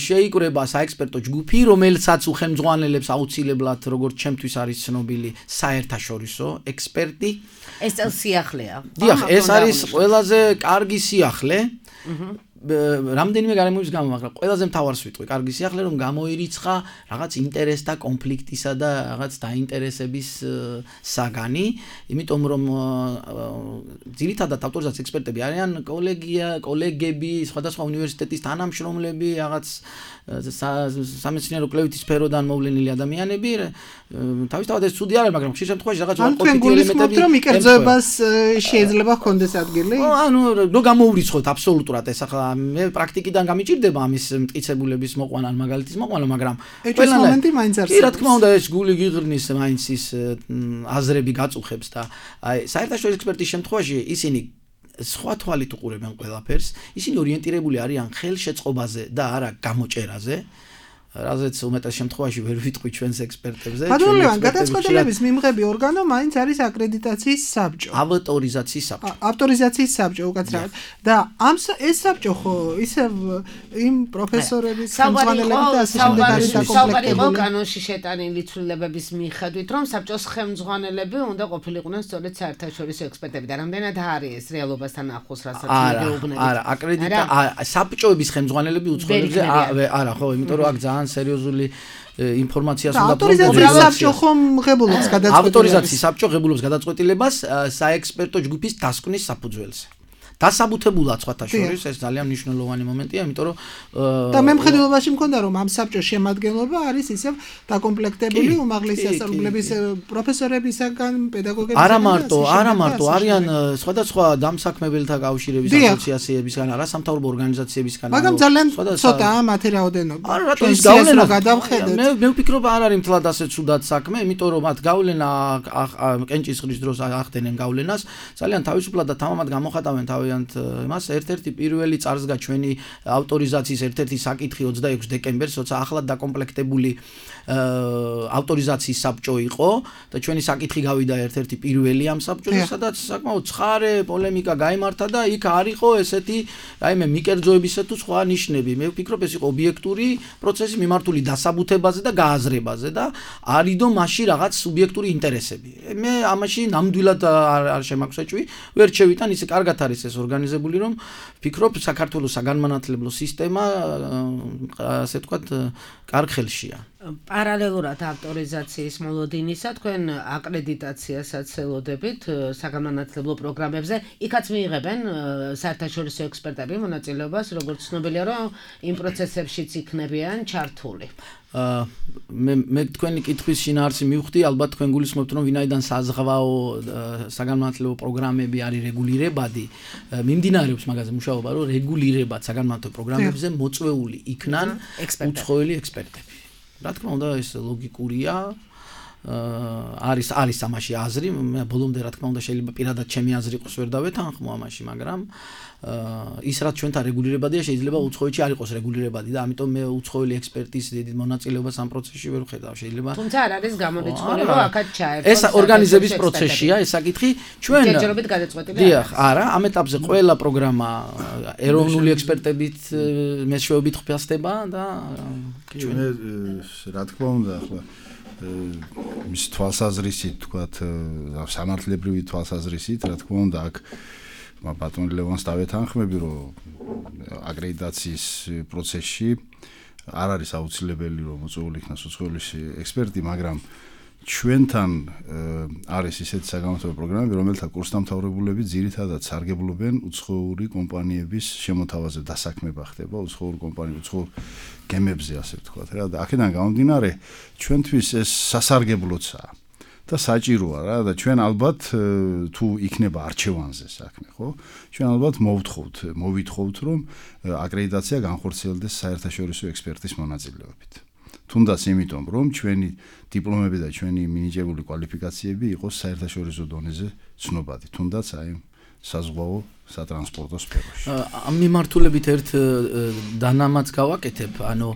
შეიკრება საექსპერტო ჯგუფი რომელსაც უხელმძღვანელებს აუცილებლად როგორც ჩემთვის არის ცნობილი საერთაშორისო ექსპერტი ეს სიახლეა დიახ ეს არის ყველაზე კარგი სიახლე რამდენიმე გარემოების გამო, მაგრამ ყველაზე მთავარს ვიტყვი, კარგი სიახლე რომ გამოირიცხა რაღაც ინტერესთა კონფლიქტისა და რაღაც დაინტერესების საგანი, იმიტომ რომ ძირითადად ავტორიზაციის ექსპერტები არიან კოლეგია, კოლეგები, სხვადასხვა უნივერსიტეტის თანამშრომლები, რაღაც სამეცნიერო კვლევითი სფეროდან მოვლენილი ადამიანები, თავისთავად ეს ცუდი არ არის, მაგრამ ხშირ შემთხვევაში რაღაც კონფლიქტი ელემენტები რომ იკერძოებას შეიძლება ჰქონდეს ადგილი. ანუ რო გამოურიცხოთ აბსოლუტურად ეს ახლა მე პრაქტიკიდან გამიჭირდება ამის მტკიცებულების მოყვანა მაგალითის მოყვანა, მაგრამ ეს მომენტი მაინც არსებობს. კი, რა თქმა უნდა, ეს გული გიღრნის მაინც ის აზრები გაწუხებს და აი საერთაშორისო ექსპერტის შემთხვევაში ისინი სხვა თვალით უყურებენ ყველაფერს, ისინი ორიენტირებული არიან ხელშეწყობაზე და არა გამოჭერაზე. რაზეც უმეტეს შემთხვევაში ვერ ვიტყვი ჩვენს ექსპერტებზე. ბატონო, გადაწყვეტილების მიმღები ორგანო მაინც არის აკრედიტაციის საბჭო. ავტორიზაციის საბჭო. ავტორიზაციის საბჭო უკაცრავად. და ამ ეს საბჭო ხო ისევ იმ პროფესორების ხელმძღვანელები და ასე შემდეგ არის დაკომპლექტებული. საუბარი კანონში შეტანილი ცვლილებების მიხედვით, რომ საბჭოს ხელმძღვანელები უნდა ყოფილიყვნენ სწორედ საერთაშორისო ექსპერტები და რამდენად არის ეს რეალობასთან ახლოს რასაც მიგეუბნებით. არა, აკრედიტა საბჭოების ხელმძღვანელები უცხოელებზე არა, ხო, იმიტომ რომ აქ ძალიან სერიოზული ინფორმაციას უნდა ავტორიზაციის საბჭო ხომ ღებულობს გადაწყვეტილებას ავტორიზაციის საბჭო ღებულობს გადაწყვეტილებას საექსპერტო ჯგუფის დასკვნის საფუძველზე დასაბუთებულად სხვათა შორის ეს ძალიან მნიშვნელოვანი მომენტია იმიტომ რომ და მე მხედველობაში მქონდა რომ ამ საბჭოს შემადგენლობა არის ისევ დაკომპლექტებული უმაღლესი სასწავლებლების პროფესორებისაგან პედაგოგებისგან არა მარტო არა მარტო არიან სხვადასხვა დამსაქმებელთა კავშირების ასოციაციებისგან არასამთავრობო ორგანიზაციებისგან მაგრამ ძალიან ცოტაა მათი რაოდენობა არა რატო ის გავლენა გადავხედეთ მე მე ვფიქრობ არ არის მთლად ასე ცუდად საქმე იმიტომ რომ მათ გავლენა კენჭისყრის დროს ახდენენ გავლენას ძალიან თავისუფლად და თამამად გამოხატავენ თავიანთ იმას ერთ-ერთი პირველი წარსდგა ჩვენი ავტორიზაციის ერთ-ერთი საკითხი ოცდაექვსი დეკემბერს, როცა ახლად დაკომპლექტებული ავტორიზაციის საბჭო იყო და ჩვენი საკითხი გავიდა ერთ-ერთი პირველი ამ საბჭოზე, სადაც საკმაოდ ცხარე პოლემიკა გაიმართა და იქ არ იყო ესეთი რაიმე მიკერძოებისა თუ სხვა ნიშნები. მე ვფიქრობ ეს იყო ობიექტური პროცესი მიმართული დასაბუთებაზე და გააზრებაზე და არიდო მასში რაღაც სუბიექტური ინტერესები. მე ამაში ნამდვილად არ შემაგვსაჭვი, ვერ შევიტან ისე კარგად არის ეს ორგანიზებული რომ ვფიქრობ საქართველოს საგანმანათლებლო სისტემა ასე ვთქვათ კარგ ხელშია. პარალელურად ავტორიზაციის მოლოდინისა თქვენ აკრედიტაციასაც ელოდებით საგანმანათლებლო პროგრამებზე, იქაც მიიღებენ საერთაშორისო ექსპერტები მონაწილეობას, როგორც ცნობილია, რომ იმ პროცესებშიც იქნებიან ჩართული. მე მე თქვენი კითხვის შინაარსი მივხვდი, ალბათ თქვენ გულისხმობთ, რომ ვინაიდან საზღვაო საგანმანათლებლო პროგრამები არის რეგულირებადი, მიმდინარეობს მაგაზე მუშაობა, რომ რეგულირებად საგანმანათლებლო პროგრამებზე მოწვეული იქნან უცხოელი ექსპერტები. რა თქმა უნდა ეს ლოგიკურია არის არის ამაში აზრი, მე ბოლომდე რა თქმა უნდა შეიძლება პირადად ჩემი აზრი იყოს ვერ დავეთანხმო ამაში, მაგრამ ის რაც ჩვენთან რეგულირებადია შეიძლება უცხოეთში არ იყოს რეგულირებადი და ამიტომ მე უცხოელი ექსპერტის დიდ მონაწილეობას ამ პროცესში ვერ ვხედავ. შეიძლება თუმცა არ არის გამორიცხული რომ აქაც ჩაერთოს. ეს ორგანიზების პროცესია, ეს საკითხი ჩვენ ჯერჯერობით გადაწყვეტილი. დიახ, არა, ამ ეტაპზე ყველა პროგრამა ეროვნული ექსპერტებით მეშვეობით ხფასდება და ჩვენ რა თქმა უნდა ახლა მის თვალსაზრისით თქვათ სამართლებრივი თვალსაზრისით რა თქმა უნდა აქ ბატონ ლევანს დავეთანხმები რომ აკრედიტაციის პროცესში არ არის აუცილებელი რომ მოწვეული იქნას უცხოელი ექსპერტი, მაგრამ ჩვენთან არის ისეთი საგანმანათლებლო პროგრამები, რომელთა კურსდამთავრებულები ძირითადად სარგებლობენ უცხოური კომპანიების შემოთავაზე დასაქმება ხდება უცხოურ კომპანიებში, უცხოურ გემებზე ასე ვთქვათ რა და აქედან გამომდინარე ჩვენთვის ეს სასარგებლოა და საჭიროა რა და ჩვენ ალბათ თუ იქნება არჩევანზე საქმე, ხო? ჩვენ ალბათ მოვთხოვთ, მოვითხოვთ რომ აკრედიტაცია განხორციელდეს საერთაშორისო ექსპერტის მონაწილეობით. თუნდაც იმიტომ რომ ჩვენი დიპლომები და ჩვენი მინიჭებული კვალიფიკაციები იყოს საერთაშორისო დონეზე ცნობადი, თუნდაც აი საზღვაო სატრანსპორტო სფეროში. ამ მიმართულებით ერთ დანამატს გავაკეთებ, ანუ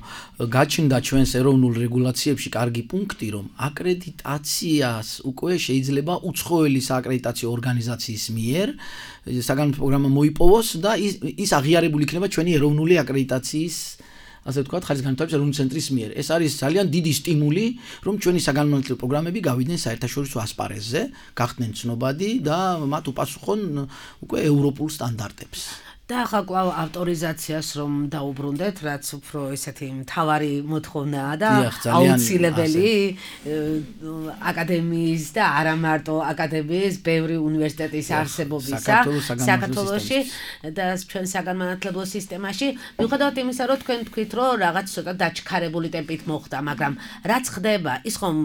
გაჩნდა ჩვენს ეროვნულ რეგულაციებში კარგი პუნქტი, რომ აკრედიტაციას უკვე შეიძლება უცხოელი სააკრედიტაციო ორგანიზაციის მიერ საგანმანათლებლო პროგრამა მოიპოვოს და ის აღიარებული იქნება ჩვენი ეროვნული აკრედიტაციის ასე ვთქვათ, ხარისხგანვითარების ეროვნული ცენტრის მიერ. ეს არის ძალიან დიდი სტიმული, რომ ჩვენი საგანმანათლებლო პროგრამები გავიდნენ საერთაშორისო ასპარეზზე, გახდნენ ცნობადი და მათ უპასუხონ უკვე ევროპულ სტანდარტებს. და ახლა კვლავ ავტორიზაციას რომ დაუბრუნდეთ, რაც უფრო ესეთი მთავარი მოთხოვნაა და აუცილებელი აკადემიის და არა მარტო აკადემიის, ბევრი უნივერსიტეტის არსებობისა საქართველოში და ჩვენ საგანმანათლებლო სისტემაში. მიუხედავად იმისა, რომ თქვენ თქვით, რომ რაღაც ცოტა დაჩქარებული ტემპით მოხდა, მაგრამ რაც ხდება, ის ხომ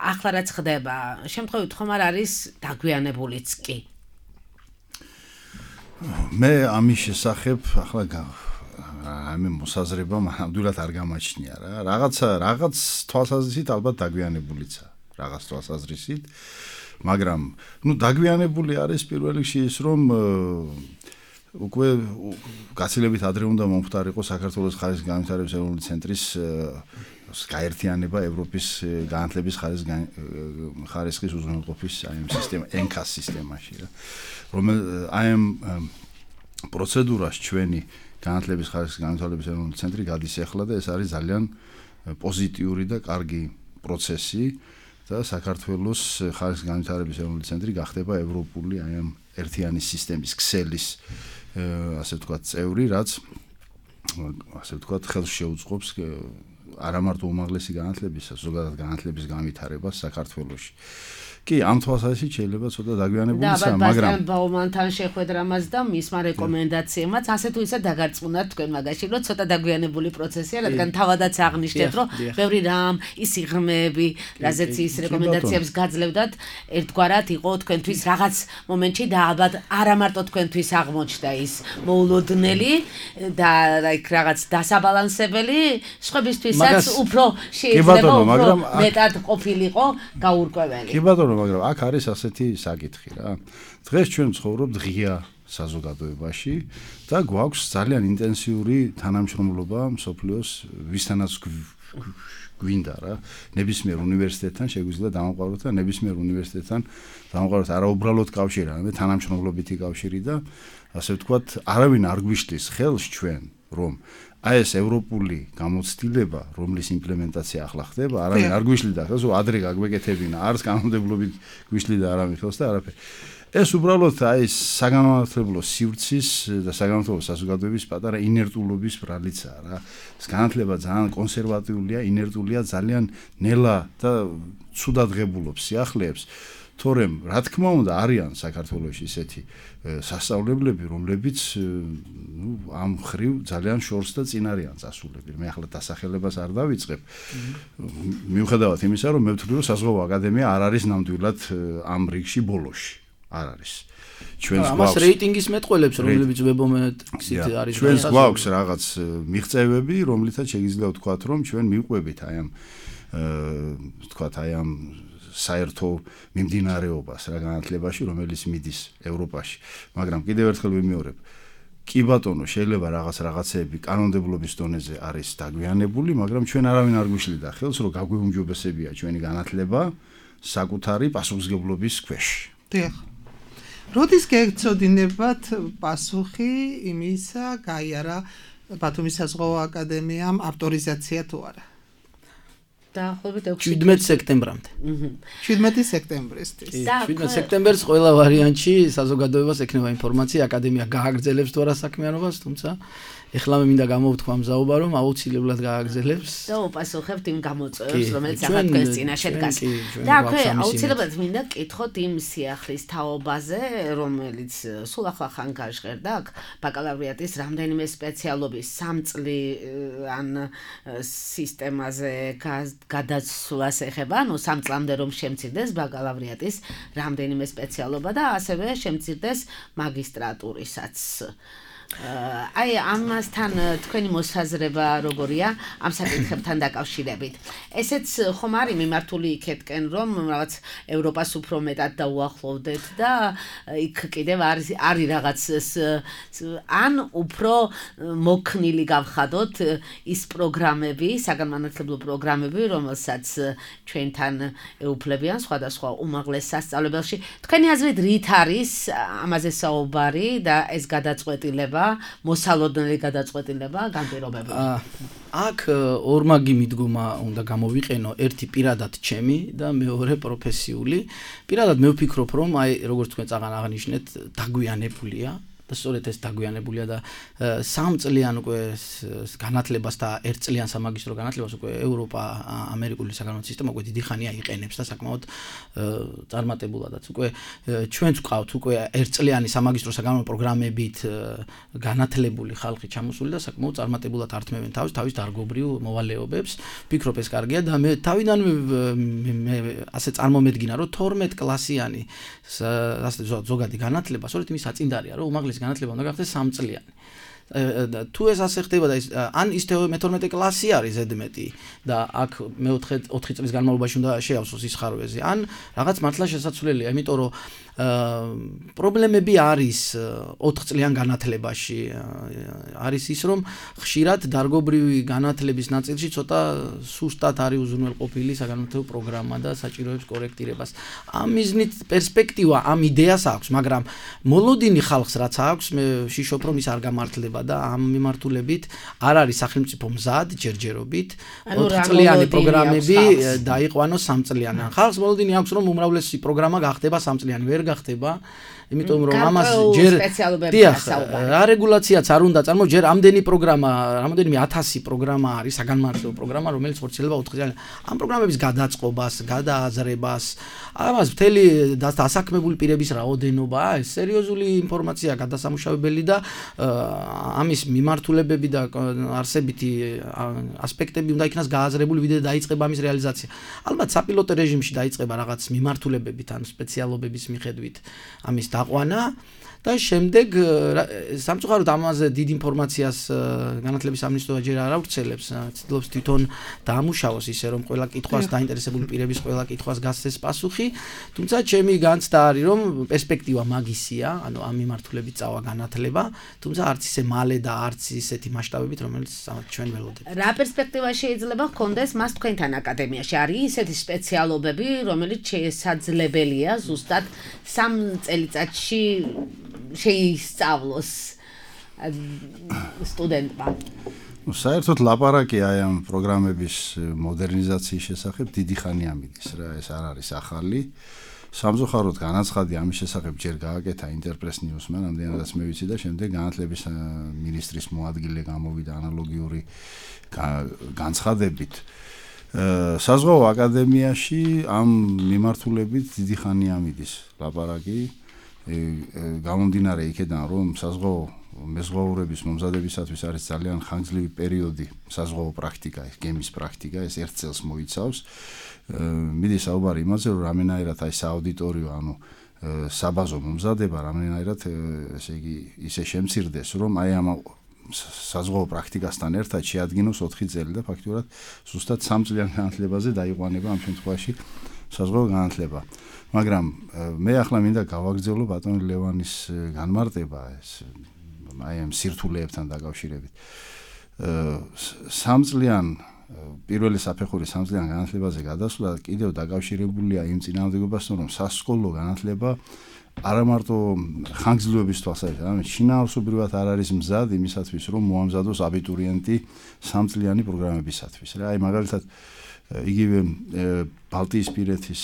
ახლა რაც ხდება, შემთხვევით ხომ არ არის დაგვიანებულიც კი. მე ამის შესახებ ახლა ამე მოსაზრება ნამდვილად არ გამაჩნია რა. რაღაცა რაღაც თვალსაზრისით ალბათ დაგვიანებულიცა, რაღაც თვალსაზრისით, მაგრამ ნუ დაგვიანებული არის პირველ რიგში ის რომ უკვე გაცილებით ადრე უნდა მომხდარიყო საქართველოს ხარისხგანვითარების ეროვნული ცენტრის გაერთიანება ევროპის განათლების ხარისხის უზრუნველყოფის აი ამ სისტემა ენკას სისტემაში რა. რომელ აი ამ პროცედურას ჩვენი განათლების ხარისხის განვითარების ეროვნული ცენტრი გადის ახლა და ეს არის ძალიან პოზიტიური და კარგი პროცესი და საქართველოს ხარისხის განვითარების ეროვნული ცენტრი გახდება ევროპული აი ამ ერთიანი სისტემის ქსელის ასე ვთქვათ წევრი, რაც ასე ვთქვათ ხელს შეუწყობს არა მარტო უმაღლესი განათლებისა, ზოგადად განათლების განვითარებას საქართველოში. კი, ამ თვალსაზრისით შეიძლება ცოტა დაგვიანებულიცაა, მაგრამ და ბაუმანთან შეხვედრამაც და მისმა რეკომენდაციებმაც ასე თუ ისე დაგარწმუნდათ თქვენ მაგაში, რომ ცოტა დაგვიანებული პროცესია, რადგან თავადაც აღნიშნეთ, რომ ბევრი რამ, ის სიღრმეები, რაზეც ის რეკომენდაციებს გაძლევდათ, ერთგვარად იყო თქვენთვის რაღაც მომენტში და ალბათ არა მარტო თქვენთვის აღმოჩნდა ის მოულოდნელი და like რაღაც დასაბალანსებელი, სხვებისთვისაც უფრო შეიძლება უფრო მეტად ყოფილიყო გაურკვეველი. კი ბატონო, მაგრამ აქ არის ასეთი საკითხი რა. დღეს ჩვენ ვცხოვრობთ ღია საზოგადოებაში და გვაქვს ძალიან ინტენსიური თანამშრომლობა მსოფლიოს ვისთანაც გვინდა რა. ნებისმიერ უნივერსიტეტთან შეგვიძლია დამოყვაროთ და ნებისმიერ უნივერსიტეტთან დამოყვაროთ არაუბრალოდ კავშირი, არამედ თანამშრომლობითი კავშირი და ასე ვთქვათ, არავინ არ გვიშლის ხელს ჩვენ რომ აი ეს ევროპული გამოცდილება, რომლის იმპლემენტაცია ახლა ხდება, არავინ არ გვიშლიდა ხელს, ადრე გაგვეკეთებინა, არც კანონმდებლობით გვიშლიდა არავინ ხელს და არაფერი. ეს უბრალოდ აი ეს საგანმანათლებლო სივრცის და საგანმანათლებლო საზოგადოების პატარა ინერტულობის ბრალიცაა რა. ეს განათლება ძალიან კონსერვატიულია, ინერტულია, ძალიან ნელა და ცუდად ღებულობს სიახლეებს. თორემ, რა თქმა უნდა, არიან საქართველოში ისეთი სასწავლებლები, რომლებიც ნუ ამ ხრივ ძალიან შორს და წინ არიან წასულები. მე ახლა დასახელებას არ დავიწყებ. მიუხედავად იმისა, რომ მე ვთვლი, რომ საზღვაო აკადემია არ არის ნამდვილად ამ რიგში ბოლოში. არ არის. ჩვენს გვაქვს ამას რეიტინგის მეტყველებს, რომლებიც ვებომეტრიქსით არის. ჩვენს გვაქვს რაღაც მიღწევები, რომლითაც შეიძლება ვთქვათ, რომ ჩვენ მივყვებით აი ამ თქვათ აი ამ საერთო მიმდინარეობას რა განათლებაში, რომელიც მიდის ევროპაში. მაგრამ კიდევ ერთხელ ვიმეორებ, კი ბატონო, შეიძლება რაღაც რაღაცეები კანონმდებლობის დონეზე არის დაგვიანებული, მაგრამ ჩვენ არავინ არ გვიშლიდა ხელს, რომ გაგვეუმჯობესებია ჩვენი განათლება საკუთარი პასუხისმგებლობის ქვეშ. დიახ. როდის გეცოდინებათ პასუხი იმისა, გაიარა ბათუმის საზღვაო აკადემიამ ავტორიზაცია თუ არა? დაახლოებით შვიდმეტი სექტემბრამდე. შვიდმეტი სექტემბრისთვის. შვიდმეტი სექტემბერს ყველა ვარიანტში საზოგადოებას ექნება ინფორმაცია, აკადემია გააგრძელებს თუ არა საქმიანობას, თუმცა ეხლა მე მინდა გამოვთქვა მზაობა, რომ აუცილებლად გააგრძელებს. და უპასუხებთ იმ გამოწვევებს, რომელიც ახლა თქვენს წინაშე დგას. და აქვე აუცილებლად მინდა გკითხოთ იმ სიახლის თაობაზე, რომელიც სულ ახლა ხან გაჟღერდა აქ ბაკალავრიატის რამდენიმე სპეციალობის სამწლიან სისტემაზე გადაცვლას ეხება, ანუ სამ წლამდე რომ შემცირდეს ბაკალავრიატის რამდენიმე სპეციალობა და ასევე შემცირდეს მაგისტრატურისაც. აი ამასთან თქვენი მოსაზრება როგორია ამ საკითხებთან დაკავშირებით? ესეც ხომ არის მიმართული იქეთკენ, რომ რაღაც ევროპას უფრო მეტად დაუახლოვდეთ და იქ კიდევ არის არის რაღაც ან უფრო მოქნილი გავხადოთ ის პროგრამები, საგანმანათლებლო პროგრამები, რომელსაც ჩვენთან ეუფლებიან სხვადასხვა უმაღლეს სასწავლებელში. თქვენი აზრით რით არის ამაზე საუბარი და ეს გადაწყვეტილება მოსალოდნელი გადაწყვეტილება განპირობებული. აქ ორმაგი მიდგომა უნდა გამოვიყენო, ერთი პირადად ჩემი და მეორე პროფესიული. პირადად მე ვფიქრობ, რომ აი როგორც თქვენ წაღან აღნიშნეთ, დაგვიანებულია და სწორედ ეს დაგვიანებულია და სამ წლიან უკვე განათლებას და ერთ წლიან სამაგისტრო განათლებას უკვე ევროპა ამერიკული საგანმანათლებლო სისტემა უკვე დიდი ხანია იყენებს და საკმაოდ წარმატებულადაც უკვე ჩვენც ვყავთ უკვე ერთ წლიანი სამაგისტრო საგანმანათლებლო პროგრამებით განათლებული ხალხი ჩამოსული და საკმაოდ წარმატებულად ართმევენ თავის თავის დარგობრივ მოვალეობებს. ვფიქრობ ეს კარგია და მე თავიდანვე მე ასე წარმომედგინა რომ თორმეტ კლასიანი ასე ზოგადი განათლება სწორედ იმის საწინდარია რომ უმაღლესი განათლება უნდა გახდეს სამ წლიანი. თუ ეს ასე ხდება და ან ის მეთორმეტე კლასი არის ზედმეტი და აქ მეოთხე ოთხი წლის განმავლობაში უნდა შეავსოს ის ხარვეზი, ან რაღაც მართლა შესაძლებელია, იმიტომ რომ პრობლემები არის ოთხ წლიან განათლებაში. არის ის, რომ ხშირად დარგობრივი განათლების ნაწილში ცოტა სუსტად არის უზრუნველყოფილი საგანმანათლებლო პროგრამა და საჭიროებს კორექტირებას. ამ მიზნით პერსპექტივა ამ იდეას აქვს, მაგრამ მოლოდინი ხალხს რაც აქვს, მე ვშიშობ რომ ის არ გამართლება და ამ მიმართულებით არ არის სახელმწიფო მზად ჯერჯერობით ოთხ წლიანი პროგრამები დაიყვანოს სამ წლიანი. ხალხს მოლოდინი აქვს რომ უმრავლესი პროგრამა გახდება სამ წლიანი, ვერ გახდება, იმიტომ რომ ამას ჯერ რა რეგულაციაც არ უნდა წარმო, ჯერ ამდენი პროგრამა, რამდენიმე ათასი პროგრამა არის საგანმანათლებლო პროგრამა, რომელიც ხორციელდება ოთხ წლიანი. ამ პროგრამების გადაწყობას, გადააზრებას, ამას მთელი დასაქმებული პირების რაოდენობა, ეს სერიოზული ინფორმაცია გადასამუშავებელი და ამის მიმართულებები და არსებითი ასპექტები უნდა იქნას გააზრებული, ვიდრე დაიწყება ამის რეალიზაცია. ალბათ საპილოტო რეჟიმში დაიწყება რაღაც მიმართულებებით ან სპეციალობების მიხედვით ამის დაყვანა და შემდეგ სამწუხაროდ ამაზე დიდ ინფორმაციას განათლების სამინისტრო ჯერ არ ავრცელებს, ცდილობს თვითონ დაამუშავოს ისე რომ ყველა კითხვას დაინტერესებული პირების ყველა კითხვას გასცეს პასუხი, თუმცა ჩემი განცდა არის რომ პერსპექტივა მაგისია, ანუ ამ მიმართულებით წავა განათლება, თუმცა არც ისე მალე და არც ისეთი მასშტაბებით, რომელიც ჩვენ ველოდებით. რა პერსპექტივა შეიძლება ჰქონდეს მას თქვენთან აკადემიაში? არის ისეთი სპეციალობები, რომელიც შესაძლებელია ზუსტად სამ წელიწადში შეისწავლოს სტუდენტმა. ნუ საერთოდ ლაპარაკი აი ამ პროგრამების მოდერნიზაციის შესახებ დიდი ხანია მიდის რა, ეს არ არის ახალი. სამწუხაროდ განაცხადი ამის შესახებ ჯერ გააკეთა ინტერპრეს ნიუსმა, რამდენადაც მე ვიცი და შემდეგ განათლების მინისტრის მოადგილე გამოვიდა ანალოგიური განცხადებით. საზღვაო აკადემიაში ამ მიმართულებით დიდი ხანია მიდის ლაპარაკი. გამომდინარე იქედან რომ საზღვაო მეზღვაურების მომზადებისათვის არის ძალიან ხანგრძლივი პერიოდი საზღვაო პრაქტიკა, გემის პრაქტიკა, ეს ერთ წელს მოიცავს. მიდის საუბარი იმაზე, რომ რამენაირად აი სააუდიტორიო, ანუ საბაზო მომზადება რამენაირად ესე იგი ისე შემცირდეს, რომ აი ამ საზღვაო პრაქტიკასთან ერთად შეადგინოს ოთხი წელი და ფაქტობრივად ზუსტად სამ წლიან განათლებაზე დაიყვანება ამ შემთხვევაში საზღვაო განათლება. მაგრამ მე ახლა მინდა გავაგრძელო ბატონ ლევანის განმარტება ეს აი ამ სირთულეებთან დაკავშირებით. სამ წლიან პირველი საფეხური სამ წლიან განათლებაზე გადასვლა კიდევ დაკავშირებულია იმ წინააღმდეგობასთან, რომ სასკოლო განათლება არა მარტო ხანგრძლივობის თვალსაზრისით, არამედ შინაარსობრივად არ არის მზად იმისათვის, რომ მოამზადოს აბიტურიენტი სამ წლიანი პროგრამებისათვის. რა, აი მაგალითად იგივე ბალტიისპირეთის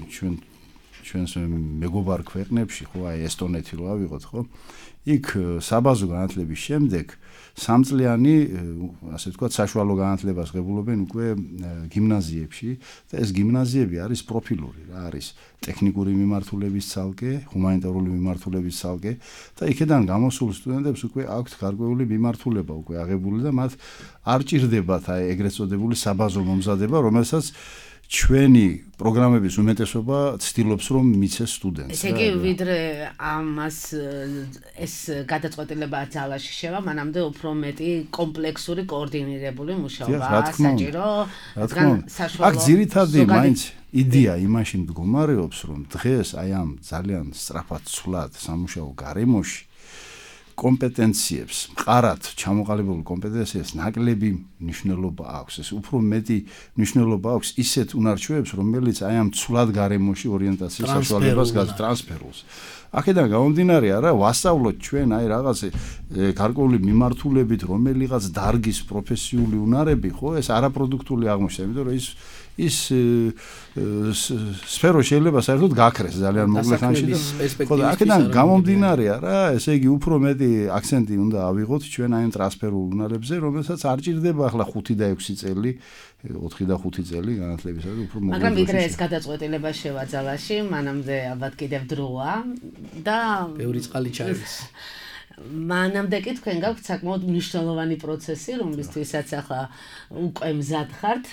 ჩვენ ჩვენს მეგობარ ქვეყნებში, ხო, აი ესტონეთი რო ავიღოთ, ხო? იქ საბაზო განათლების შემდეგ სამ წლიანი, ასე ვთქვათ, საშუალო განათლებას ღებულობენ უკვე გიმნაზიებში და ეს გიმნაზიები არის პროფილური, რა არის ტექნიკური მიმართულების ცალკე, ჰუმანიტარული მიმართულების ცალკე და იქედან გამოსულ სტუდენტებს უკვე აქვთ გარკვეული მიმართულება უკვე აღებული და მათ არ ჭირდებათ აი ეგრეთ წოდებული საბაზო მომზადება, რომელსაც ჩვენი პროგრამების უმეტესობა ცდილობს რომ მიცეს სტუდენტს. ესე იგი ვიდრე ამას ეს გადაწყვეტილება ძალაში შევა, მანამდე უფრო მეტი კომპლექსური კოორდინირებული მუშაობა საჭირო. აქ ძირითადი მაინც იდეა იმაში მდგომარეობს, რომ დღეს აი ამ ძალიან სწრაფად ცვლად სამუშაო გარემოში კომპეტენციებს, მყარად ჩამოყალიბებულ კომპეტენციებს ნაკლები მნიშვნელობა აქვს. ეს უფრო მეტი მნიშვნელობა აქვს ისეთ უნარჩვევებს, რომელიც აი ამ ცვლად გარემოში ორიენტაციის საშუალებას გატრანსფერულს. აქედან გამომდინარე, არა, ვასწავლოთ ჩვენ აი რაღაც გარკვეული მიმართულებით რომელიღაც დარგის პროფესიული უნარები, ხო, ეს არაპროდუქტული აღმოჩნდება, იმიტომ რომ ის ის სფერო შეიძლება საერთოდ გაქრეს ძალიან მოკლე ხანში და ხო და აქედან გამომდინარე, რა, ესე იგი უფრო მეტი აქცენტი უნდა ავიღოთ ჩვენ აი ამ ტრანსფერულ უნარებზე, რომელსაც არ ჭირდება ახლა ხუთი და ექვსი წელი, ოთხი და ხუთი წელი განათლებისა და უფრო მოკლე. მაგრამ ვიდრე ეს გადაწყვეტილება შევა ძალაში, მანამდე ალბათ კიდევ დროა და ბევრი წყალი ჩაივის. მანამდე კი თქვენ გაქვთ საკმაოდ მნიშვნელოვანი პროცესი, რომლისთვისაც ახლა უკვე მზად ხართ.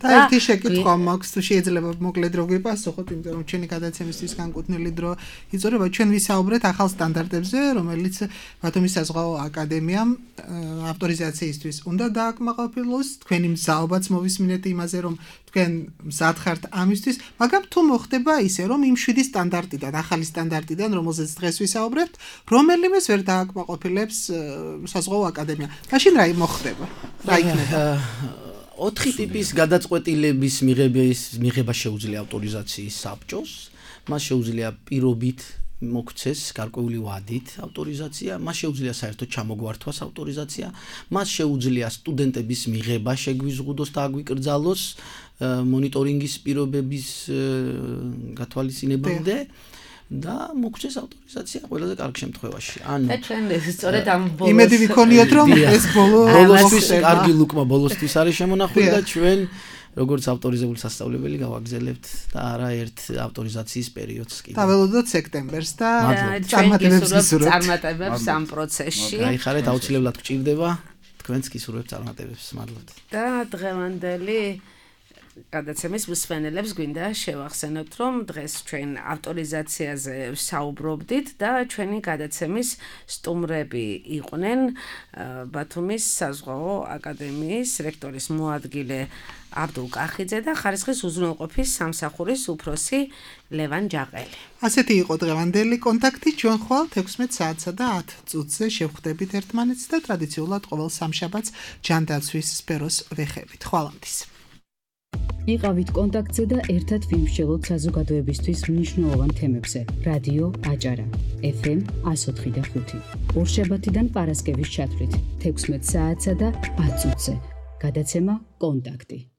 და ერთი შეკითხვა მაქვს, თუ შეიძლება მოკლედ რო გიპასუხოთ, იმიტომ რომ ჩვენი გადაცემისთვის განკუთვნილი დრო იწურება. ჩვენ ვისაუბრეთ ახალ სტანდარტებზე, რომელიც ბათუმის საზღვაო აკადემიამ ავტორიზაციისთვის უნდა დააკმაყოფილოს. თქვენი მზაობაც მოვისმინეთ იმაზე, რომ თქვენ მზად ხართ ამისთვის, მაგრამ თუ მოხდება ისე, რომ იმ შვიდი სტანდარტიდან, ახალი სტანდარტიდან, რომელზეც დღეს ვისაუბრებთ, რომელიმეს ვერ დააკმაყოფილებს საზღვაო აკადემია. მაშინ რა მოხდება? რა იქნება? ოთხი ტიპის გადაწყვეტილების მიღების მიღება შეუძლია ავტორიზაციის საბჭოს, მას შეუძლია პირობით მოგცეს გარკვეული ვადით ავტორიზაცია, მას შეუძლია საერთოდ ჩამოგვართვას ავტორიზაცია, მას შეუძლია სტუდენტების მიღება შეგვიზღუდოს და აგვიკრძალოს მონიტორინგის პირობების გათვალისწინებამდე და მოგცეს ავტორიზაცია ყველაზე კარგ შემთხვევაში. ანუ და ჩვენ სწორედ ამ ბოლოს იმედი ვიქონიოთ რომ ეს ბოლო ბოლოსთვის კარგი ლუკმა ბოლოსთვის არის შემონახული და ჩვენ როგორც ავტორიზებული სასწავლებელი გავაგზავნებთ და არა ერთ ავტორიზაციის პერიოდს კიდევ. დაველოდოთ სექტემბერს და წარმატებებს გისურვებთ. წარმატებებს ამ პროცესში. გაიხარეთ, აუცილებლად გჭირდება თქვენც გისურვებთ წარმატებებს. მადლობთ. და დღევანდელი გადაცემის მსმენელებს გვინდა შევახსენოთ, რომ დღეს ჩვენ ავტორიზაციაზე საუბრობდით და ჩვენი გადაცემის სტუმრები იყვნენ ბათუმის საზღვაო აკადემიის რექტორის მოადგილე აბდულ კახიძე და ხარისხის უზრუნველყოფის სამსახურის უფროსი ლევან ჯაყელი. ასეთი იყო დღევანდელი კონტაქტი. ჩვენ ხვალ ექვსმეტ საათსა და ათ წუთზე შევხვდებით ერთმანეთს და ტრადიციულად ყოველ სამშაბათს ჯანდაცვის სფეროს ვეხებით. ხვალამდის. იყავით კონტაქტზე და ერთად ვიმსჯელოთ საზოგადოებისთვის მნიშვნელოვან თემებზე. რადიო აჭარა ეფ ემ εκατო ოთხი და ხუთი. ორშაბათიდან პარასკევის ჩათვლით ექვსმეტ საათსა და ათ წუთზე. გადაცემა კონტაქტი.